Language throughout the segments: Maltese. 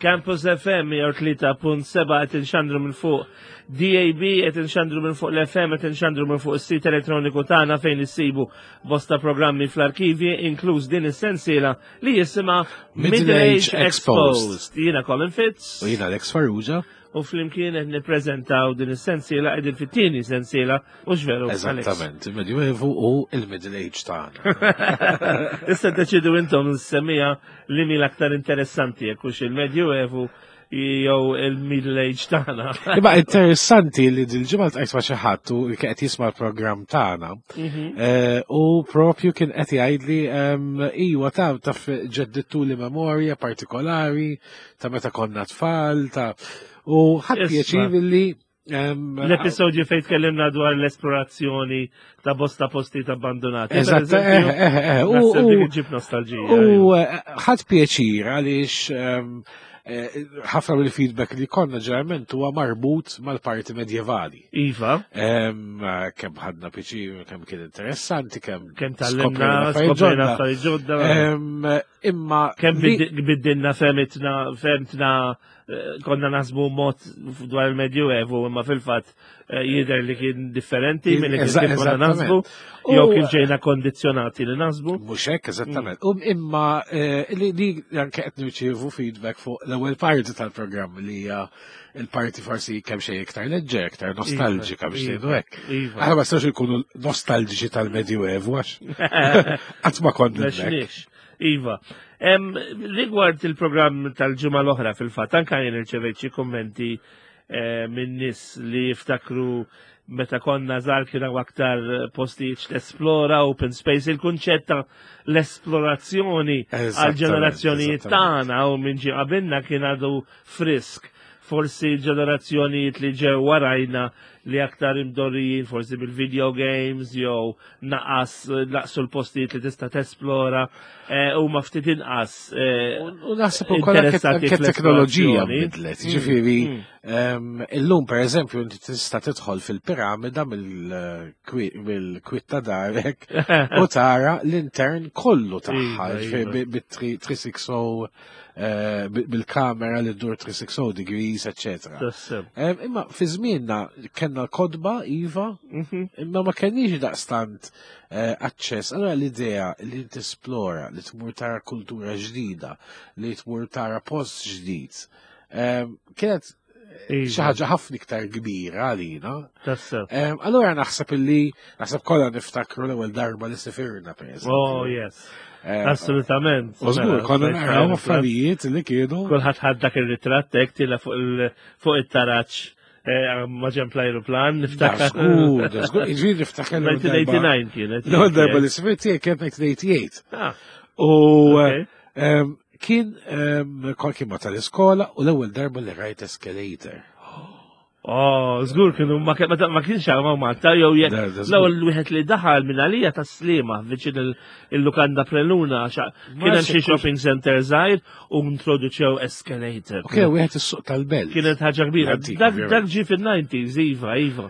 Campus FM 103.7 qed inxandru minn fuq DAB qed inxandru minn fuq l-FM qed inxandru minn fuq is-sit elettroniku tagħna fejn issibu bosta programmi fl-arkivji inkluż din is-sensiela li jisimha Middle Age Exposed. Jiena Colin Fitz. U jiena Alex Farrugia. U flimkien qed nippreżentaw din is-sensiela qegħdin fit-tieni sensiela u veru. Eżattament, il-Medjuevu u il-Middle Age tagħna. Issa deċidu intom nsemmija li mi l-aktar interessanti jekk hux il-Medjuevu jew il-middle age tagħna. Imma interessanti li dil-ġimgħa tqajt ma' xi ħadd u qed jisma' l-programm tagħna. Mhm. Eh, u propju kien qed jgħidli iwa ta' taf ġeddittu li memorja partikolari ta' meta konna tfal ta' u ħadd pjaċir li L-episodju fejn tkellimna dwar l-esplorazzjoni ta' bosta postijiet abbandonati. Eżatt, eh, eh, eh, u ġib nostalġija. U ħadd pjaċir għaliex ħafna mill-feedback li konna ġeneralment huwa marbut mal-parti medjevali. Iva. Kemm ħadna pjaċir, kemm kien interessanti, kemm kemm tallimna, skoprejna affarijiet ġodda. Imma kemm biddilna fehmitna, fehmtna eh, konna naħsbu mod dwar il-Medjuevu, imma fil-fatt eh, jidher li kien differenti minn kif konna naħsbu, jew kif ġejna kondizzjonati li naħsbu. Mhux hekk, eżattament. Um, imma eh, li anke qed nirċievu feedback fuq l-ewwel parti tal-programm li hija il-parti forsi kemm xejn iktar leġġer, iktar iva, nostalġika biex iva, ngħidu hekk. Iva. Aħna ma nistax ikunu nostalġiċi tal-Medjuevu għax qatt ma konna. Iva. Rigward il-programm tal-ġimgħa l-oħra fil-fatt, anka jien irċevejt xi kummenti eh, minn nies li jiftakru meta konna żgħar kien hawn aktar postijiet x'tesplora, open space, il-kunċett ta' l-esplorazzjoni għal ġenerazzjonijiet tagħna u minn ġie qabilna kien għadu frisk. Forsi ġenerazzjonijiet li ġew warajna li aktar imdorrijin forsi bil-video games jew naqas naqsu l-postijiet li tista' tesplora eh, huma ftit inqas. Eh, u naħseb ukoll anke teknoloġija bidlet, mm, ġifieri mm. ehm, illum pereżempju inti tista' tidħol fil-piramida mill-kwitt ta' darek u tara l-intern kollu tagħha iva, iva. bit-360 Eh, bil-kamera li ddur 360 degrees, etc. Eh, imma fi żmienna kellna l-kodba, iva, mhm. imma ma kenniex daqstant eh, aċċess. Allora l-idea li tisplora, li tmur tara kultura ġdida, li tmur tara post ġdid, kienet iva. xi ħaġa ħafna iktar kbira għalina. Allura naħseb illi naħseb kollha niftakru l-ewwel darba li sifirna pereżempju. Oh yes. Assolutament. U żgur, mela, konna naraw affarijiet li kienu. Kulħadd ħad dak ir-ritratt hekk tila fuq it-taraġ eh, ma ġemp l-aeroplan, niftakar. Żgur, żgur, jiġifieri niftakar. 1989 kienet. L-ewwel darba li sifirt kienet 1988. Ah. U Kien kol kien ma tal-iskola u l-ewwel darba li rajt escalator. Oh, żgur kienu ma kienx hawn Malta jew jekk l-ewwel wieħed li daħal minn għalija ta' Sliema viċin il-lukanda Preluna kien hemm xi shopping center żgħir u introduċew escalator. Ok, wieħed is-suq tal-belt. Kienet ħaġa kbira. Dak ġie fin-90s, iva, iva.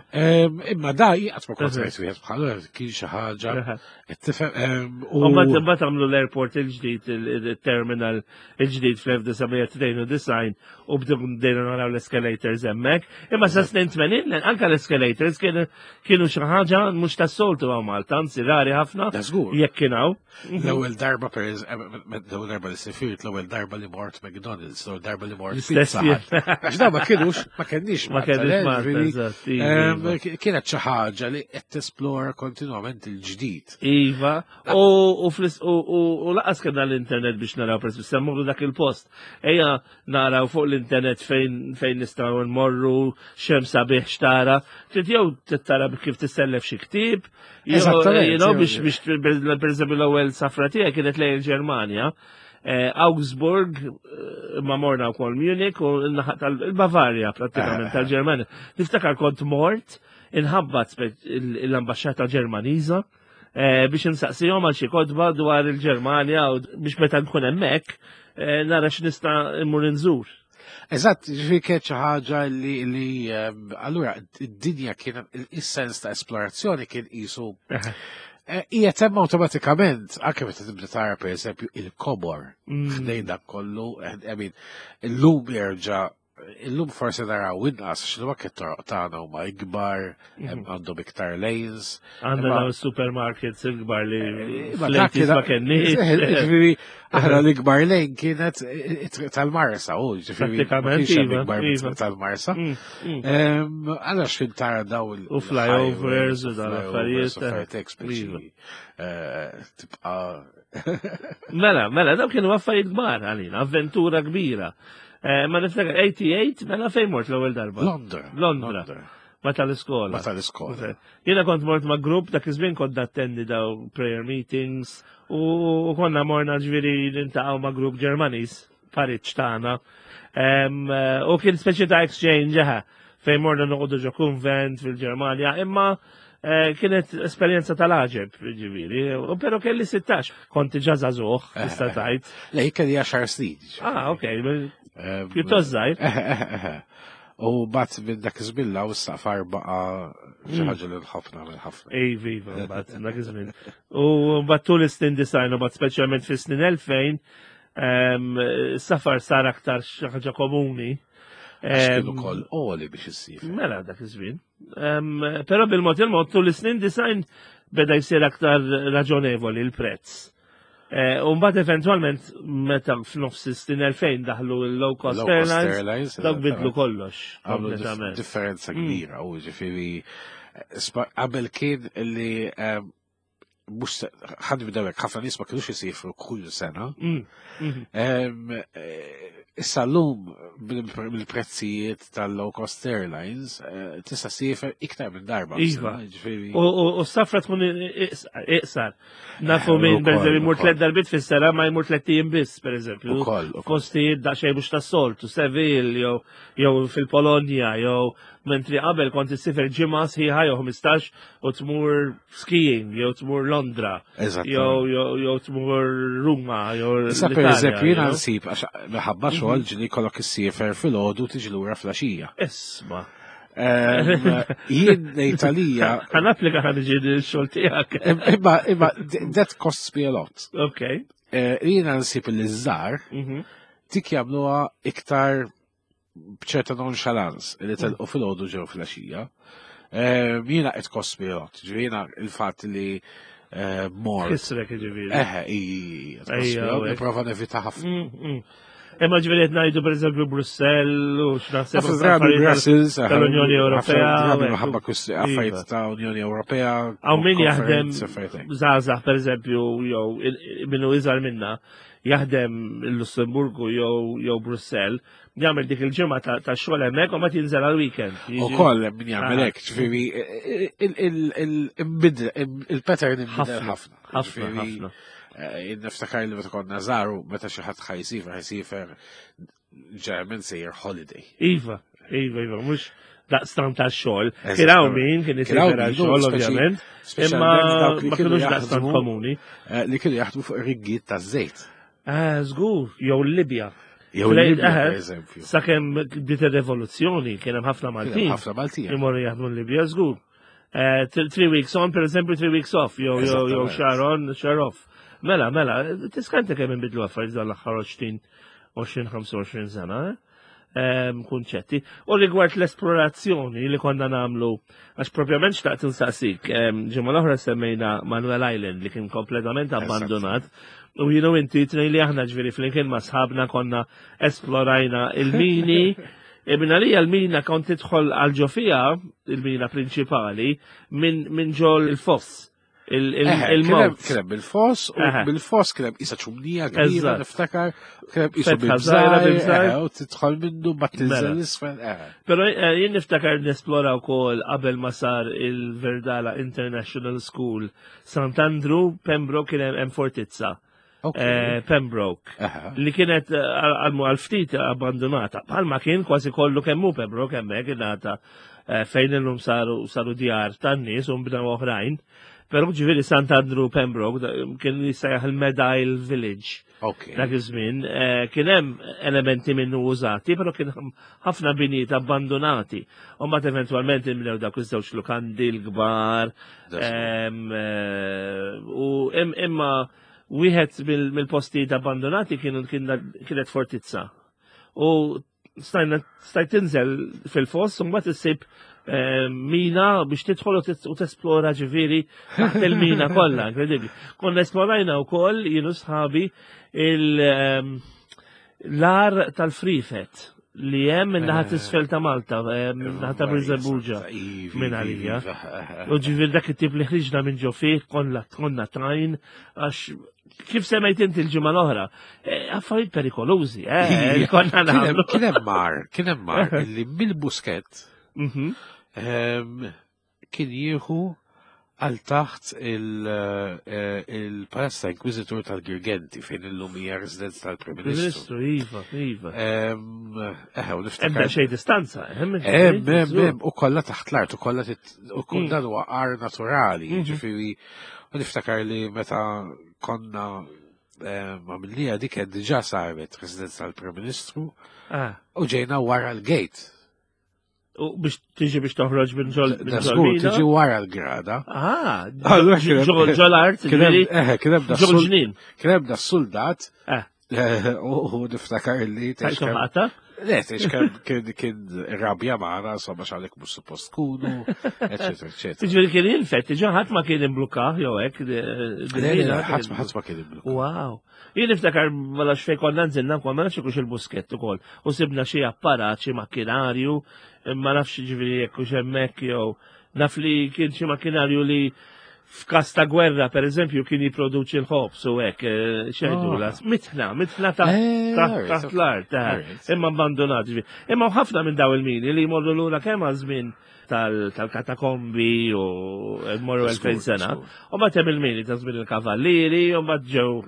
Imma da qatt ma kont rajt wieħed bħal kien xi ħaġa U mbagħad għamlu l-airport il-ġdid, il-terminal il-ġdid fl-1992 u bdejna naraw l-escalators hemmhekk. Imma sa snin 80 anka l-escalators kienu xi ħaġa mhux tas-soltu għaw Malta, anzi rari ħafna. Jekk kien hawn. L-ewwel darba per l-ewwel darba li sifirt, l-ewwel darba li mort McDonald's, l-ewwel darba li mort Pizza Hut. Għax da ma kienux, ma kenniex. Ma kenniex Malta. Kienet xi ħaġa li qed tesplora kontinwament il-ġdid. Iva, u laqas kellna l-internet biex naraw per semmurru dak il-post. Ejja naraw fuq l-internet fejn fejn nistgħu nmorru, xem sabiħ xtara. Trid jew tara kif tissellef xi ktieb, jew biex biex per eżempju l-ewwel safra tiegħek kienet lejn il-Ġermanja. Eh, Augsburg, eh, ma morna wkoll Munich u n-naħa tal-Bavarja prattikament eh. tal-Ġermanja. Niftakar kont mort inħabbat l-ambasċata Ġermaniża eh, biex insaqsihom għal xi kotba dwar il-Ġermanja u biex meta nkun hemmhekk eh, nara x'nista' immur inżur. Eżatt, ġifieri kienet xi ħaġa li li eh, allura id-dinja kien is-sens ta' esplorazzjoni kien qisu. Qiegħed hemm awtomatikament, anke meta tibda tara pereżempju il-kobor ħdejn dak kollu, I mean, illum jerġa' illum forsi naraw inqas x'nu anke t-toroq tagħna huma ikbar, hemm għandhom iktar lanes. Għandna dawn supermarkets il-kbar li Eh, Ma fl-80s dak ma kenniex. Ġifieri, aħna l-ikbar lejn kienet it-triq tal-Marsa, u ġifieri ma Prattikament, kienx hemm iva, ikbar mit iva. triq tal-Marsa. Għala x'fin tara daw il U flyovers u dawn flyovers, l-affarijiet, eh. affarijiet hekk speċi, Iva. tibqa' Mela, mela, daw kienu affarijiet kbar għalina, avventura kbira. Ma niftakar 88, mela fejn mort l-ewwel darba? Londra. Londra. Ma tal-iskola. Ma tal-iskola. Jiena kont mort ma' grupp dak iż-żmien kont nattendi daw prayer meetings u konna morna ġifieri nintaqgħu ma' grupp Ġermaniż pariġġ tagħna. U kien speċi ta' exchange eħe, fejn morna noqogħdu ġo kunvent fil-Ġermanja, imma kienet esperjenza tal-għaġeb, ġifieri, u però kelli 16, kont diġà żagħżugħ, tista' tgħid. Le, kelli 10 snin. Ah, ok, pjuttost żgħir. U bat minn dak iż-żmien u s-safar baqa' xi ħaġa li nħobb nagħmel ħafna. Ej, viva, mbagħad dak iż-żmien. U mbagħad tul is-snin design u mbagħad speċjalment fis-snin 2000, safar sar aktar xi ħaġa komuni. Għax kienu ukoll għoli biex issir. Mela dak iż-żmien. Però bil-mod il-mod tul is-snin design beda jsir aktar raġonevoli l-prezz. U mbagħad eventwalment meta f'nofs is-snin 2000 daħlu l-low cost Low cost airlines, airlines, dawk bidlu kollox Għamlu kompletament. differenza kbira u ġifieri qabel kien li mhux ħadd bidewek ħafna nies ma kinux isifru kull sena. Issa llum bil-prezzijiet tal-low cost airlines tista' ssiefer iktar minn darba. Iva. Ġifieri U s-safra tkun iqsar. Nafu minn Ukoll, per eżempju jmur ukoll. tliet darbiet fis-sena ma jmur tliet ijiem biss, per eżempju. Ukoll, ukoll. Postijiet daqsxejn mhux tas-soltu, Seville jew fil-Polonja jew mentri qabel kont issifer ġimgħa sħiħa jew 15 u tmur skiing jew tmur Londra Eżatt. jew tmur Ruma jew Issa per l-Italja, eżempju jiena you know? nsib għax minħabba xogħol ġili kollok issiefer filgħodu tiġi lura flaxija. Isma. Jien ngħid għalija Ħa napplika ħa niġi x-xogħol tiegħek. imma that costs me a lot. Ok. Jiena nsib li żgħar dik jagħmluha iktar b'ċerta nonchalance li telqu filgħodu ġew flaxija. Jiena it costs me a lot. Ġifieri jiena il-fatt li mort. Kisrek ġifieri. Eħe, i it costs me a lot, Ejja, nipprova nevita ħafna. Imma ġifieri qed ngħidu pereżempju Brussell u x'naħseb Ħafna drabi affarijiet Brussels, tal-Unjoni Ewropea, drabi u hekk. minħabba affarijiet Iva. ta' Unjoni Ewropea. Hawn min jaħdem konferenzi, affarijiet hekk. żgħażagħ pereżempju jew minnu iżgħar minna jaħdem il-Lussemburgu jew Brussell, jagħmel dik il-ġimgħa ta' xogħol hemmhekk u ma tinżel għal-weekend. U koll min jagħmel hekk, ġifieri il-pattern inbidel Ħafna, ħafna. ħafna, Ġifieri, ħafna. Niftakar li meta konna żaru, meta xi ħadd ħa jsifer, ħa jsifer ġeneralment sejjer holiday. Iva, iva, iva, mhux daqstan ta' xogħol. Eżatt. Kien hawn min kien Kien hawn isifer għal min, xogħol speċi- ovvjament, imma Speċjalment dawk li ma kienu kinux daqstan jaħdmu komuni. li kienu jaħdmu fuq riggiet ta' żejt. Ah, żgur, jew Libja. Jew Flejn- Libja, eh, per eżempju. Sakemm bdiet ir-rivoluzzjoni kien hemm ħafna Kien hemm Maltin. ħafna Maltin. Imorru jaħdmu l-Libja żgur. 3 weeks on, per eżempju, 3 weeks off, jew Eżattament. xahar on, xahar off. Mela, mela, tiskanta kemm inbidlu affarijiet dan l-aħħar 20, 20, 25 sena, eh? Kunċetti. U rigward l-esplorazzjoni li konna nagħmlu, għax propjament xtaqt insaqsik, ġimgħa l-oħra semmejna Manuel Island li kien kompletament abbandonat. U jienu inti tnej li aħna ġifieri flimkien ma' sħabna konna esplorajna il-mini. E minna li l-mina kont tidħol għal ġo fiha, il-mina prinċipali, minn ġol il-foss. Il-mot. Kien hemm bil-foss u bil-foss kien hemm isa ċumnija kbira niftakar, kien hemm isu Fetħa żgħira bibżgħar, bibżgħar. u tidħol minnu ma tinżel Mela. isfel. Pero jien niftakar nesplora wkoll qabel ma sar il-Verdala International School Sant'Andrew, Pembroke kien hemm fortizza. Pembroke. Li kienet għal ftit abbandonata. Bħalma kien kważi kollu kemmu Pembroke hemmhekk ingħata fejn illum saru djar tan-nies u nbnew oħrajn. Però ġifieri Sant'Andrew Pembroke kien jissejjaħ il-Medile Village. Dak iż-żmien eh, kien hemm elementi minnu użati, però kien ħafna binijiet abbandonati. U mbagħad eventwalment imlew dawk iż-żewġ lukandi l-kbar. Eh, u imma wieħed mill-postijiet abbandonati kienu kienet fortizza. U stajna stajt tinżel fil-foss u mbagħad issib eh, mina biex tidħol u tesplora ġifieri taħt il-mina kollha, inkredibbli. Konna esplorajna wkoll jienu sħabi ehm, l-ar tal-frifet li hemm minn naħa tisfel ta' Malta, eh, minn naħa ta' Birżebbuġa minn għalija. U ġifieri dak it-tip li ħriġna minn ġo fih konna konna tajn għax kif semmejt inti l-ġimgħa l-oħra, eh, affarijiet perikolużi, eh, konna nagħmlu. Kien hemm mar, kien hemm mar li mill-buskett mhm. ehm, kien jieħu għal taħt eh, il-Palazz ta' Inkwizitur tal-Girgenti fejn illum hija residenza tal-Prim Ministru. Iva, iva. Ehm, eh, u niftakar. Hemm xejn distanza, hemm. Hemm, hemm, u kollha taħt l-art, u kollha u kull mm. dan huwa qar naturali, mhm. ġifieri U niftakar li meta konna eh, ma mill-lija dik diġà saret residenza tal-Prim Ministru ah. u ġejna wara l-gate. U biex tiġi biex toħroġ minn ġol. Żgur, tiġi wara l-grada. Ah, ġol art, eh, ġol ġnien. Kien hemm da soldat eh. U niftakar li. Tajtu ħata? Le, tgħix kemm kien rabja magħna, insomma x'għalek mhux suppost tkunu, eċetera, eċetera. Ġifieri kien infett, ġa ħadd ma kien imblukka jew hekk. Ħadd ħadd ma kien imblukka. Wow. Jien niftakar mela x'fejn konna nżilna wkoll ma nafx hux il-buskett ukoll. U sibna xi apparat, xi makkinarju, ma nafx ġifieri jekk hux hemmhekk jew naf li kien xi makkinarju li f'każ ta' gwerra, per eżempju, kien jipproduċi l-ħobs u hekk, eh, xejdu ah. Mitħna, mitħna eh, taħt l-art, eh, imma abbandonat. Imma ħafna minn daw il-mini li jmorru lura kemm għal żmien tal-katakombi u morru 2000 sena. U ma hemm il-mini ta' żmien il-kavallieri, u ma ġew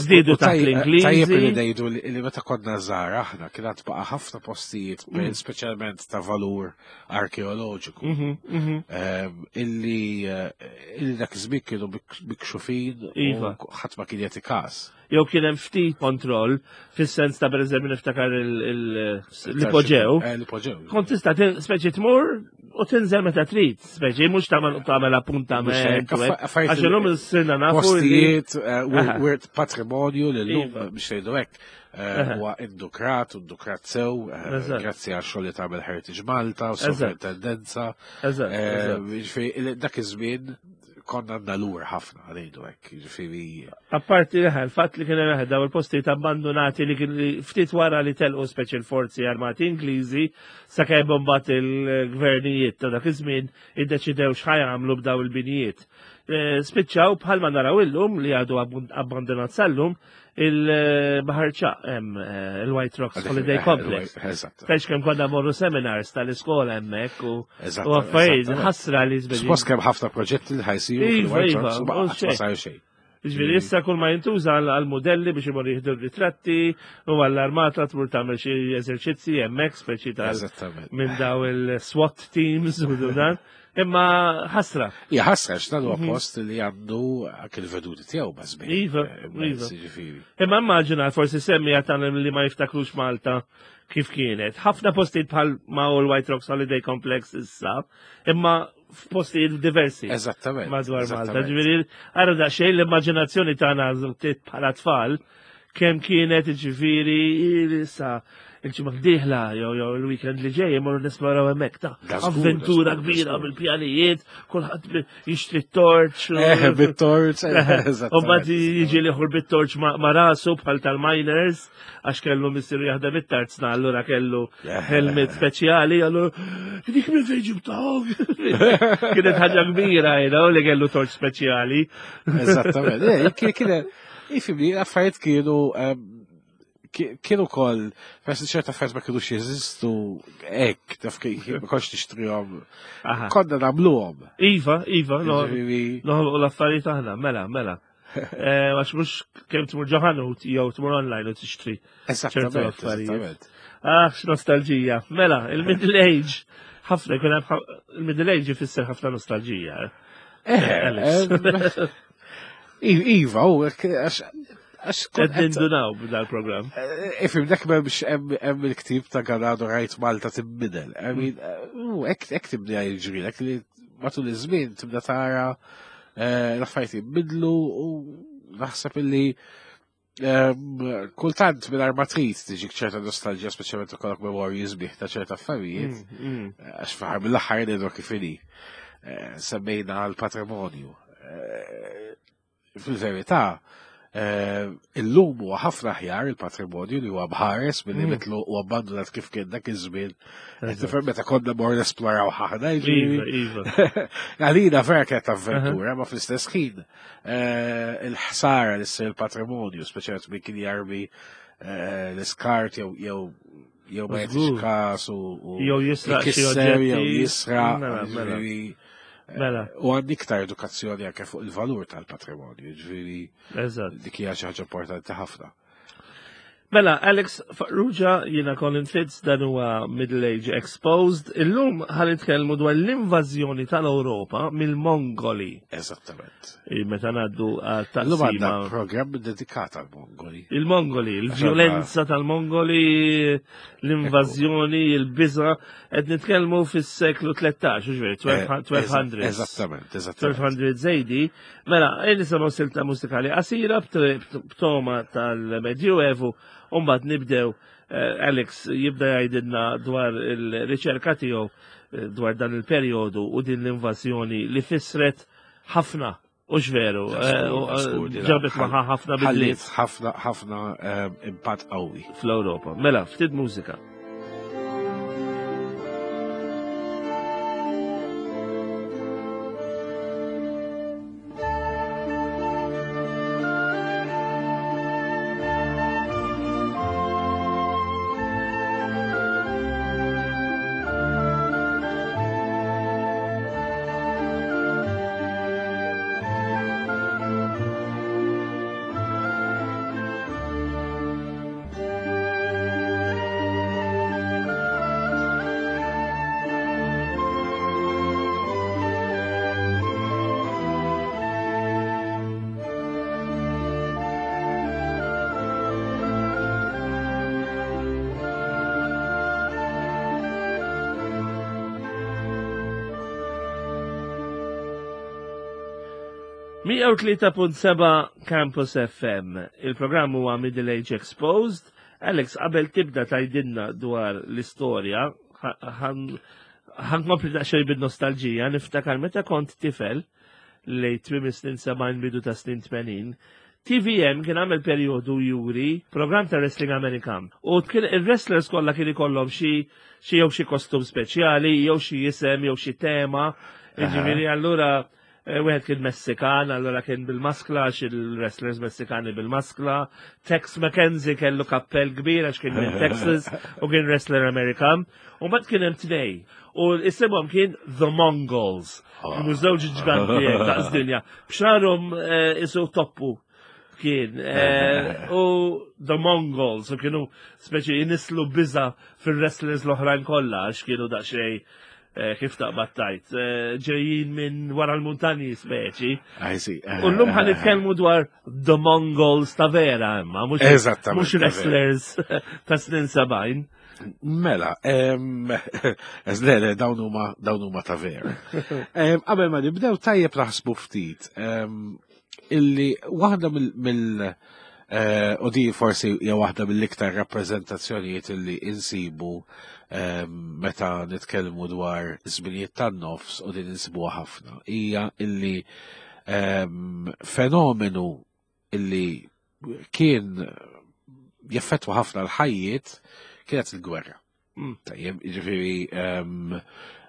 żdiedu taħt l-Ingliżi. Tajjeb li ngħidu li meta konna żgħar aħna kien baqa' ħafna postijiet, mm. speċjalment ta' valur arkeoloġiku mhm, mhm. Ehm, illi eh, illi dak iż-żmien kienu mikxufin u iva. ħadd ma kien jagħti każ. Jew kien hemm ftit kontroll fis-sens ta' pereżempju niftakar l-ipoġew. Eh, l-ipoġew. Kont tista' speċi tmur u tinżel meta trid, speċi mhux tagħmel tagħmel appuntament. Għax illum sirna nafu. Postijiet, eh, wirt patrimonju li llum iva. biex tgħidu hekk Eh, huwa indukrat, indukrat sew, eh, grazzi għal xogħol li tagħmel Heritage Malta u sovrintendenza. Eh, ġifieri dak iż-żmien konna għandna lura ħafna ngħidu hekk, ġifieri. Apparti leħ, il-fatt li kien hemm daw il-postijiet abbandonati li kien ftit wara li telqu speċi l-forzi armati Ingliżi sakemm imbagħad il-gvernijiet ta' dak iż-żmien iddeċidew x'ħajamlu b'daw il-binijiet. Spiċċaw bħalma naraw illum li għadu abbandonat sal-lum il-Bahar Ċaq hemm eh, il-White Rocks Holiday eh, Complex. Fex kemm konna morru seminars tal-iskola hemmhekk u affarijiet ħasra li żbedi. Suppost kemm ħafna proġetti li ħajsiru iva, fil-White iva, Rocks ma sar xejn. Ġifieri issa kull ma jintuża għal modelli biex imorru jieħdu ritratti u għall-armata tmur tagħmel xi eżerċizzi hemmhekk speċi tal minn daw il-SWAT teams u dan. Imma ħasra. Hija ħasra x'dan huwa mhm. post li għandu anke l-veduti tiegħu ma' żmien. Iva, eh, iva. Jiġifieri. Imma immaġina forsi semmi għatan li ma jiftakrux Malta kif kienet. Ħafna postijiet bħal ma' l White Rocks Holiday Complex issa, imma f'postijiet diversi. Eżattament. Madwar Malta. Ġifieri, għara daqsxejn l-immaġinazzjoni tagħna bħala tfal kemm kienet ġifieri issa il-ġimgħa d-dieħla jew jew il-weekend li ġej imorru nesploraw hemmhekk ta' avventura kbira bil-pjanijiet, kulħadd jixtri t-torċ. Eh, bit-torċ, eh, U mbagħad jiġi liħur bit-torċ ma' rasu bħal tal-miners għax kellu missiru jaħdem it-tarzna allura kellu eh. helmet speċjali, allura dik minn fejn ġibtahom. Kienet ħaġa kbira, li kellu torċ speċjali. Eżattament, kienet Ifimni, l-affarijiet kienu kienu kol, peress ċerta affarijiet ma kienux jeżistu hekk, taf kif ma kontx tixtrihom. Konna nagħmluhom. Iva, iva, noħolqu l-affarijiet aħna, mela, mela. Eh, għax mhux kemm tmur ġo ħanut jew tmur online u tixtri. Eżattament, eżattament. Ah, x'nostalġija. Mela, il-middle age, ħafna jkun hemm il-middle age jfisser ħafna nostalġija. Eh, eh Iva, u għax Qed nindunaw b'dal-programm. Eh, ifim, dak m'hemmx hemm il-ktib ta' Ganado rajt Malta timbidel. I mean, eh, hekk tibda jiġrilek li matul iż-żmien tibda tara eh, l-affarijiet jinbidlu u naħseb illi ehm, kultant minn ma trid tiġik ċerta nostalġija, speċjalment ikollok memorji sbieħ ta' ċerta affarijiet, mm, mm. għax faħar mill-aħħar ngħidu kif inhi. Semmejna l-patrimonju. Fil-verità, eh, illum huwa ħafna aħjar il-patrimonju li huwa mħares milli mm. mitlu u abbandonat kif kien dak iż-żmien. Tifhem meta konna mor nesploraw ħaħna jiġifieri. Iva, iva. Għalina vera kienet avventura, ma fl-istess ħin eh, il-ħsara li ssir il-patrimonju, speċjalment min kien jarmi eh, l-iskart jew jew jew ma jagħtix każ u jew jisraq xi jew jisraq. Mela, mela. Mela. U għandi iktar edukazzjoni anke fuq il-valur tal-patrimonju, ġifieri dik hija xi ħaġa importanti ħafna. Mela, Alex Farrugia, jiena Colin Fitz, dan huwa Middle Age Exposed. Illum ħan nitkellmu dwar l-invażjoni tal-Ewropa mill-Mongoli. Eżattament. Meta ngħaddu għal Illum għandna programm dedikat għal-Mongoli. Il-Mongoli, il-vjolenza tal-Mongoli, l-invażjoni, il-biża, qed nitkellmu fis-seklu 13, ġifieri 1200. Eh, eżattament, eżattament. 1200 AD. Mela, nisimgħu silta mużikali qasira b'toma tal-Medjuevu, u mbagħad nibdew eh, Alex jibda jgħidilna dwar il-riċerka tiegħu eh, dwar dan il-perjodu u din l-invażjoni li fissret ħafna U veru, eh, ġabet maħa ħafna bidliet. Ħafna, ħafna impatt qawwi. Fl-Ewropa. Mela, ftit mużika. 103.7 Campus FM. Il-programm huwa Middle Age Exposed. Alex, qabel tibda tajdinna dwar l-istorja, ħankompli daqsxejn bin-nostalġija, niftakar meta kont tifel lejn tmiem is-snin 70 bidu ta' snin 80, TVM kien għamel perjodu juri programm ta' wrestling Amerikan. U kien il-wrestlers kollha kien ikollhom xi xi jew xi kostum speċjali, jew xi isem, jew xi tema. Jiġifieri allura eh, wieħed kien Messikan, allura kien bil-maskla, għax il-wrestlers Messikani bil-maskla. Tex McKenzie kellu kappell kbir għax kien minn Texas u kien wrestler Amerikan. U mbagħad kien hemm tnej. U isimhom kien The Mongols. Kienu żewġ ġganti daqs dinja. B'xarhom eh, isu toppu kien. Eh, u The Mongols, u kienu speċi jinislu biża fil-wrestlers l-oħrajn kollha għax kienu daqsxejn eh, kif taqbad tajt, ġejjin minn wara l-muntanji speċi. U l-lum ħan nitkellmu dwar The Mongols ta' vera imma, mhux wrestlers ta' snin 70. Mela, le, le, dawn huma dawn huma ta' vera. Qabel ma nibdew tajjeb naħsbu ftit illi waħda mill eh, u di forsi hija waħda mill-iktar rappreżentazzjonijiet illi insibu meta nitkellmu dwar żminijiet tan-nofs u din insibuha ħafna hija illi fenomenu illi kien jaffettwa ħafna l-ħajjiet kienet il-gwerra. Mm. Tajjeb, jiġifieri ehm,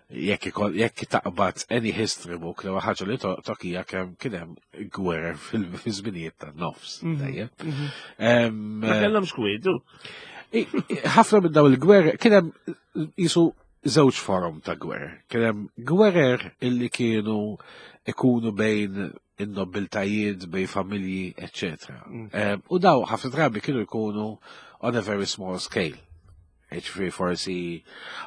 jekk jekk taqbad any history book l ħaġa li toqtok hija kemm kien hemm gwerra fil-żminijiet tan-nofs. Mhm. Tajjeb. Mhm. Ehm, Ma kellhomx kwietu. Ħafna minn dawn il-gwerra kien hemm jisu żewġ forom ta' gwerer. Kien hemm gwerer illi kienu ikunu bejn in-nobbiltajiet, bejn familji, eccetera. Mm. Eh, u daw ħafna drabi kienu jkunu on a very small scale. Ġifieri forsi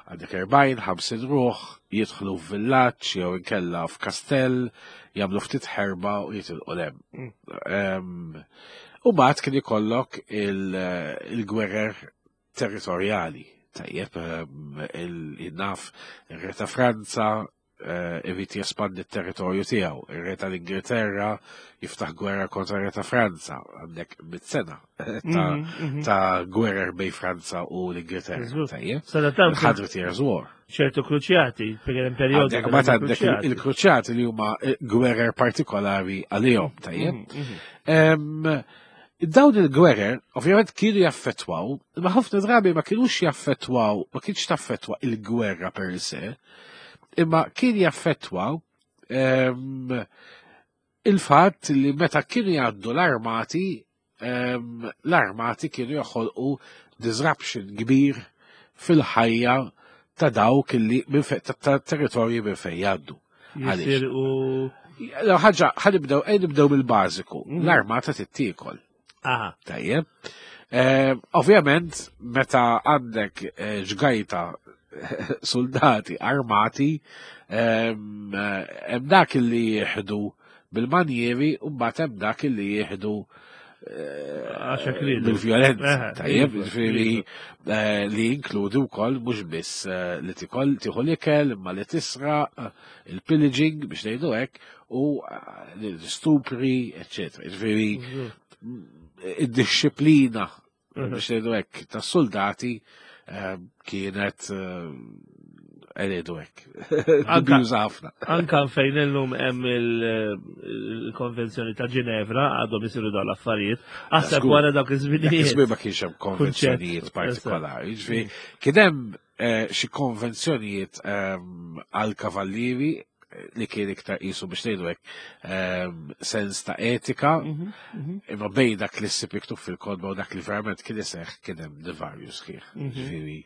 għandek 40, 50 ruħ, jidħlu f'villaġġ jew inkella f'kastell, jagħmlu ftit ħerba u jitilqu lem. Mm. U bat kien ikollok il-gwerer territorjali. Tajjeb, il-naf, ir-re ta' Franza eh, irrid jespandi t-territorju tiegħu, ir-re tal-Ingilterra jiftaħ gwerra kontra r-re ta' Franza, għandek mit-sena eh, mhm, mhm. ta' gwerer bej Franza u l-Ingilterra. Tajjeb, Hundred Years War. ċertu kruċjati, periodu. Mbagħad għandek il-kruċjati li huma eh, gwerer partikolari għalihom, tajjeb. Mhm, Dawn il-gwerer, ovvjament kienu jaffettwaw, imma ħafna drabi ma kienux jaffettwaw, ma kienx taffettwa il-gwerra per se, imma kien jaffettwaw ehm, il-fatt li meta kienu jgħaddu l-armati, ehm, l-armati kienu joħolqu disruption kbir fil-ħajja ta' dawk li ta' territorji minn fejn jgħaddu. Għaliex? U. Ħaġa, ħanibdew, ej nibdew bil-bażiku. Mhm. L-armata tittiekol. Aha. Tajjeb. Eh, ovvjament, meta għandek eh, ġgajta soldati armati, ehm, eh, hemm dak li jieħdu bil-manjieri u mbagħad hemm dak li jieħdu eh, bil-vjolenza. Eh, tajjeb, iva, ġifieri iva. eh, li jinkludi wkoll mhux biss li tikol tieħu l-ikel, imma li tisraq, il-pillaging biex ngħidu hekk u l-stupri, eċċetera. Ġifieri id-disciplina mhm. biex ngħidu hekk tas-soldati eh, kienet eh, ngħidu hekk. Dubjuża ħafna. Anka fejn illum hemm il-Konvenzjoni ta' Ginevra għadhom isiru dawn l-affarijiet. Aħseb wara dak iż-żminijiet. Żmien ma kienx hemm konvenzjonijiet partikolari. Ġifieri kien hemm eh, xi konvenzjonijiet ehm, għal kavallieri li kien iktar qisu biex ngħidu hekk ehm, sens ta' etika, mhm, mhm. imma bejn dak li ssib miktub fil-kodba u dak li verament kien iseħħ kien hemm divarju sħiħ. Mhm.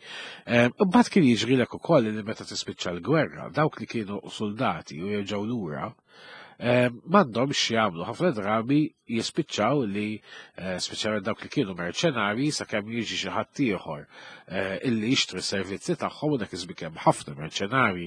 Ehm, imbagħad kien jiġrilek ukoll li meta tispiċċa l-gwerra, dawk li kienu soldati u jerġgħu lura, ehm, m'għandhomx jagħmlu ħafna drabi jispiċċaw li eh, speċjalment dawk li kienu merċenari sakemm jiġi xi ħadd ieħor eh, illi jixtri s-servizzi tagħhom u dak iż-żmien hemm ħafna merċenari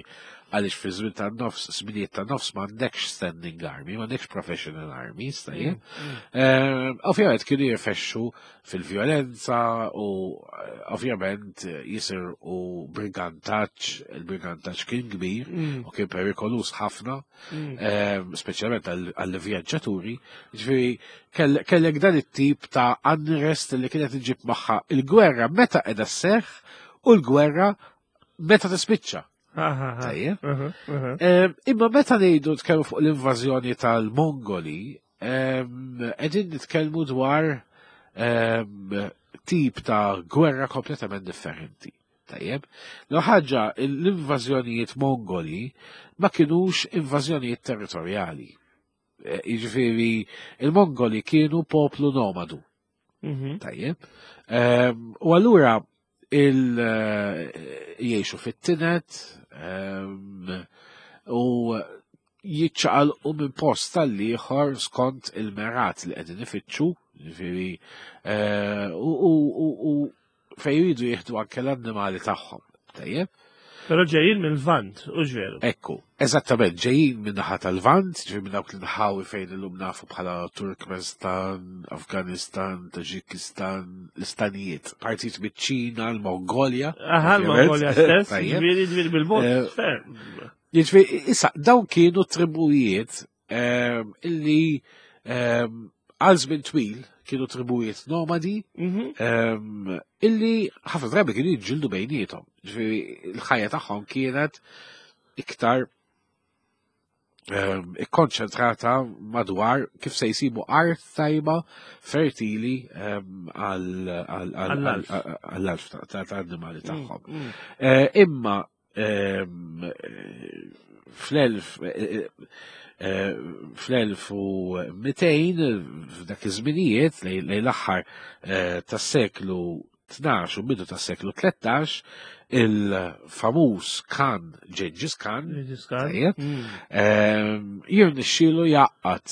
għaliex fi żmien tan-nofs, żminijiet tan-nofs m'għandekx standing army, m'għandekx professional army, stajjeb. Mm, mm. Eh, ovvjament kienu jirfexxu fil-vjolenza u eh, ovvjament jisir u brigantaġġ, il-brigantaġġ kien kbir mm. u kien perikolus ħafna, eh, speċjalment għall-vjaġġaturi, ġifieri kellek dan it-tip ta' unrest li kienet iġib magħha il-gwerra meta qiegħda sseħħ u l-gwerra meta tispiċċa. Tajjeb. Imma meta ngħidu nitkellmu fuq l-invażjoni tal-Mongoli, qegħdin nitkellmu dwar tip ta' gwerra kompletament differenti. Tajjeb. L ħaġa l-invażjonijiet Mongoli ma kinux invażjonijiet territorjali. E, jiġifieri il-Mongoli kienu poplu nomadu. Mhm. Tajjeb. U allura il eh, jgħixu fit-tinet u jiċċaqalqu minn post tal-ieħor skont il-merat li qegħdin ifittxu, ġifieri eh, u fejn jridu jieħdu anke l-annimali tagħhom. Tajjeb? Però ġejjin mill-Lvant, u ġveru. Ekku, eżattament, ġejjin minn naħa tal-Lvant, ġejjin minn dawk l-inħawi fejn illum nafu bħala Turkmenistan, Afganistan, Taġikistan, l-istanijiet, partit miċ-Ċina, l-Mongolja. Aha, l-Mongolja stess, ġifieri ġifieri bil-mod. Eh, ġifieri, issa, dawn kienu tribujiet Ehm, illi ehm, għal żmien twil kienu tribujiet nomadi mhm. ehm, illi ħafna drabi kienu jiġġieldu bejniethom. Ġifieri l-ħajja tagħhom kienet iktar ikkonċentrata madwar kif se jsibu art tajba fertili għall-alf ta' annimali mm, tagħhom. Mm. Eh, imma fl-1200 f'dak iż-żminijiet lejn l-aħħar eh, tas-seklu 12 u bidu tas-seklu 13 il-famuż Khan Gengis Khan mm. jirnexxielu jgħaqqad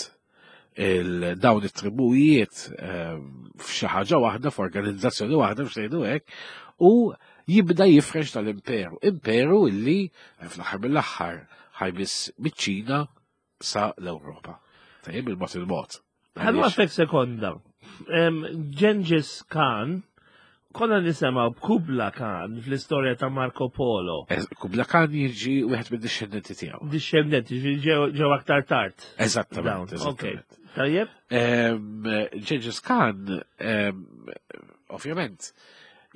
dawn it-tribujiet ehm, f'xi ħaġa waħda, f'organizzazzjoni waħda biex ngħidu hekk, u jibda jifrex tal-imperu. Imperu illi eh, fl-aħħar mill-aħħar ħajbiss miċ-Ċina sa l-Ewropa. Tajjeb il-mod il-mod. Ħadu għafek sekonda. Gengis Khan, konna nisimgħu b'Kubla Khan fl-istorja ta' Marco Polo. Kubla Khan jiġi wieħed mid-dixxendenti tiegħu. Dixxendenti, ġew aktar tard. Eżattament. Ok. Tajjeb? Gengis Khan, ovvjament,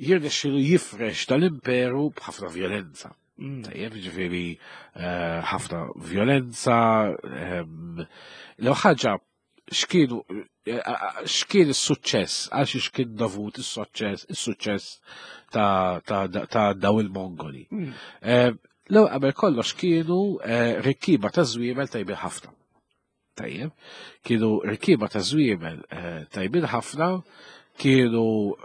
jirnexxilu jifrex tal-imperu b'ħafna violenza. Tajjeb, ġifieri ħafna violenza. L ħaġa x'kienu x'kien is-suċċess, għal xiex kien dovut is-suċċess ta' daw il-Mongoli. L-ewwel qabel kollox kienu rikkieba ta' żwiemel tajbin ħafna. Tajjeb, kienu rikkieba ta' żwiemel tajbin ħafna, kienu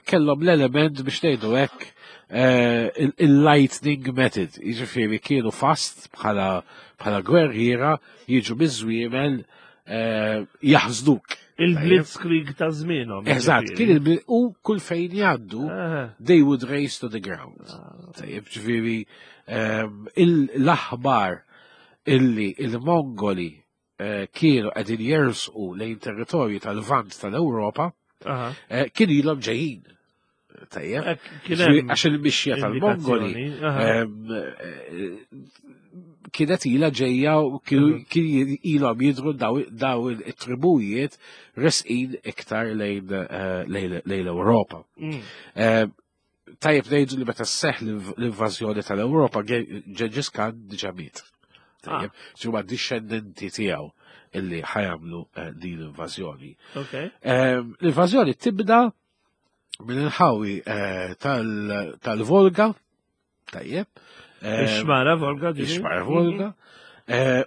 kellhom l-element biex ngħidu hekk il-lightning method, jiġifieri kienu fast bħala gwerriera jiġu miż-żwiemel jaħżduk. Il-blitzkrieg ta' żmienhom. Eżatt, kien il u kull fejn jgħaddu, they would race to the ground. Tajjeb, ġifieri l-aħbar illi il-Mongoli kienu qegħdin jersqu lejn territorju tal-Lvant tal-Ewropa, kien ilhom ġejjin. Tajjeb, għax il-mixja tal-Mongoli kienet ilha ġejja u kien ilhom jidhru daw it-tribujiet resqin iktar lejn l-Ewropa. Tajjeb ngħidu li meta sseħħ l-invażjoni tal-Ewropa, Gengis Khan diġà miet. Tajjeb, huma dixxendenti tiegħu illi ħa jagħmlu din l-invażjoni. L-invażjoni tibda mill-inħawi tal-Volga, tajjeb. Ix-xmara Volga, ġifieri? Ix-xmara Volga.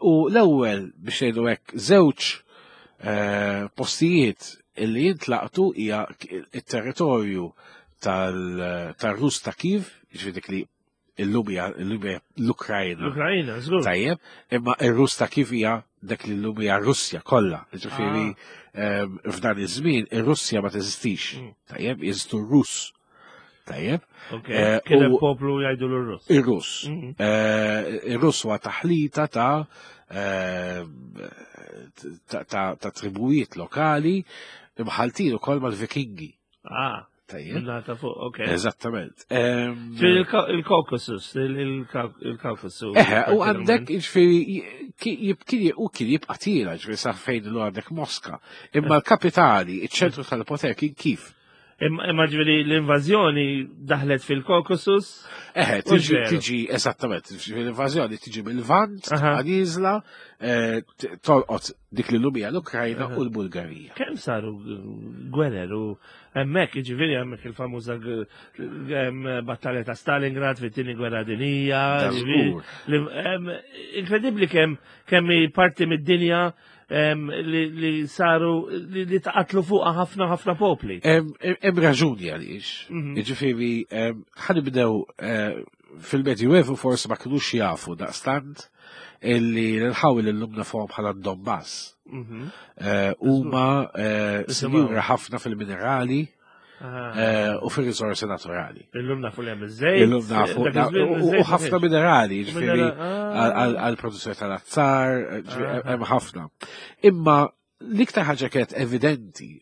U l-ewwel biex ngħidu hekk żewġ postijiet illi jintlaqtu hija it-territorju tal-Rus ta' Kiev, ġifieri dik li illum hija l-Ukrajna. L-Ukrajna, żgur. Tajjeb, imma ir-Rus ta' Kiev hija dak li llum hija Russja kollha. Ġifieri f'dan iż-żmien ir-Russja ma teżistix. Tajjeb, jeżistu r-Rus. Tajjeb. Kien hemm poplu jgħidu l-Rus. Ir-Rus. Ir-Rus huwa taħlita ta' tribujiet lokali imħaltin ukoll mal-Vikingi. Tajjeb. Ta' fuq, ok. Eżattament. Il-Caucasus, il-Caucasus. Eħe, u għandek, ġifieri, u kien jibqa' tiela, ġifieri sa fejn lu għandek Moska. Imma l-kapitali, iċ-ċentru tal-poter kien kif? Imma ġifieri l-invażjoni daħlet fil-Caucasus? Eħe, tiġi, eżattament, ġifieri l-invażjoni tiġi mill-Lvant, għal-Iżla, tolqot dik li llum hija l-Ukrajna u l-Bulgarija. Kemm saru gwerer u hemmhekk, jiġifieri hemmhekk il-famuża battalja ta' Stalingrad fit-tieni gwerra dinija. Inkredibbli kemm hi parti mid-dinja li saru li taqatlu fuqha ħafna ħafna popli. Hemm raġuni għaliex. Jiġifieri ħa nibdew fil-Medjuevu forsi ma kinux jafu daqstant illi l-ħawi li llum nafuhom bħala d-Donbass. Huma sinjura ħafna fil-minerali u fil-risorsi naturali. Illum nafu li hemm iż-żejt. Illum nafu u ħafna minerali, ġifieri għall-produzzjoni tal-azzar, hemm ħafna. Imma l-iktar ħaġa kienet evidenti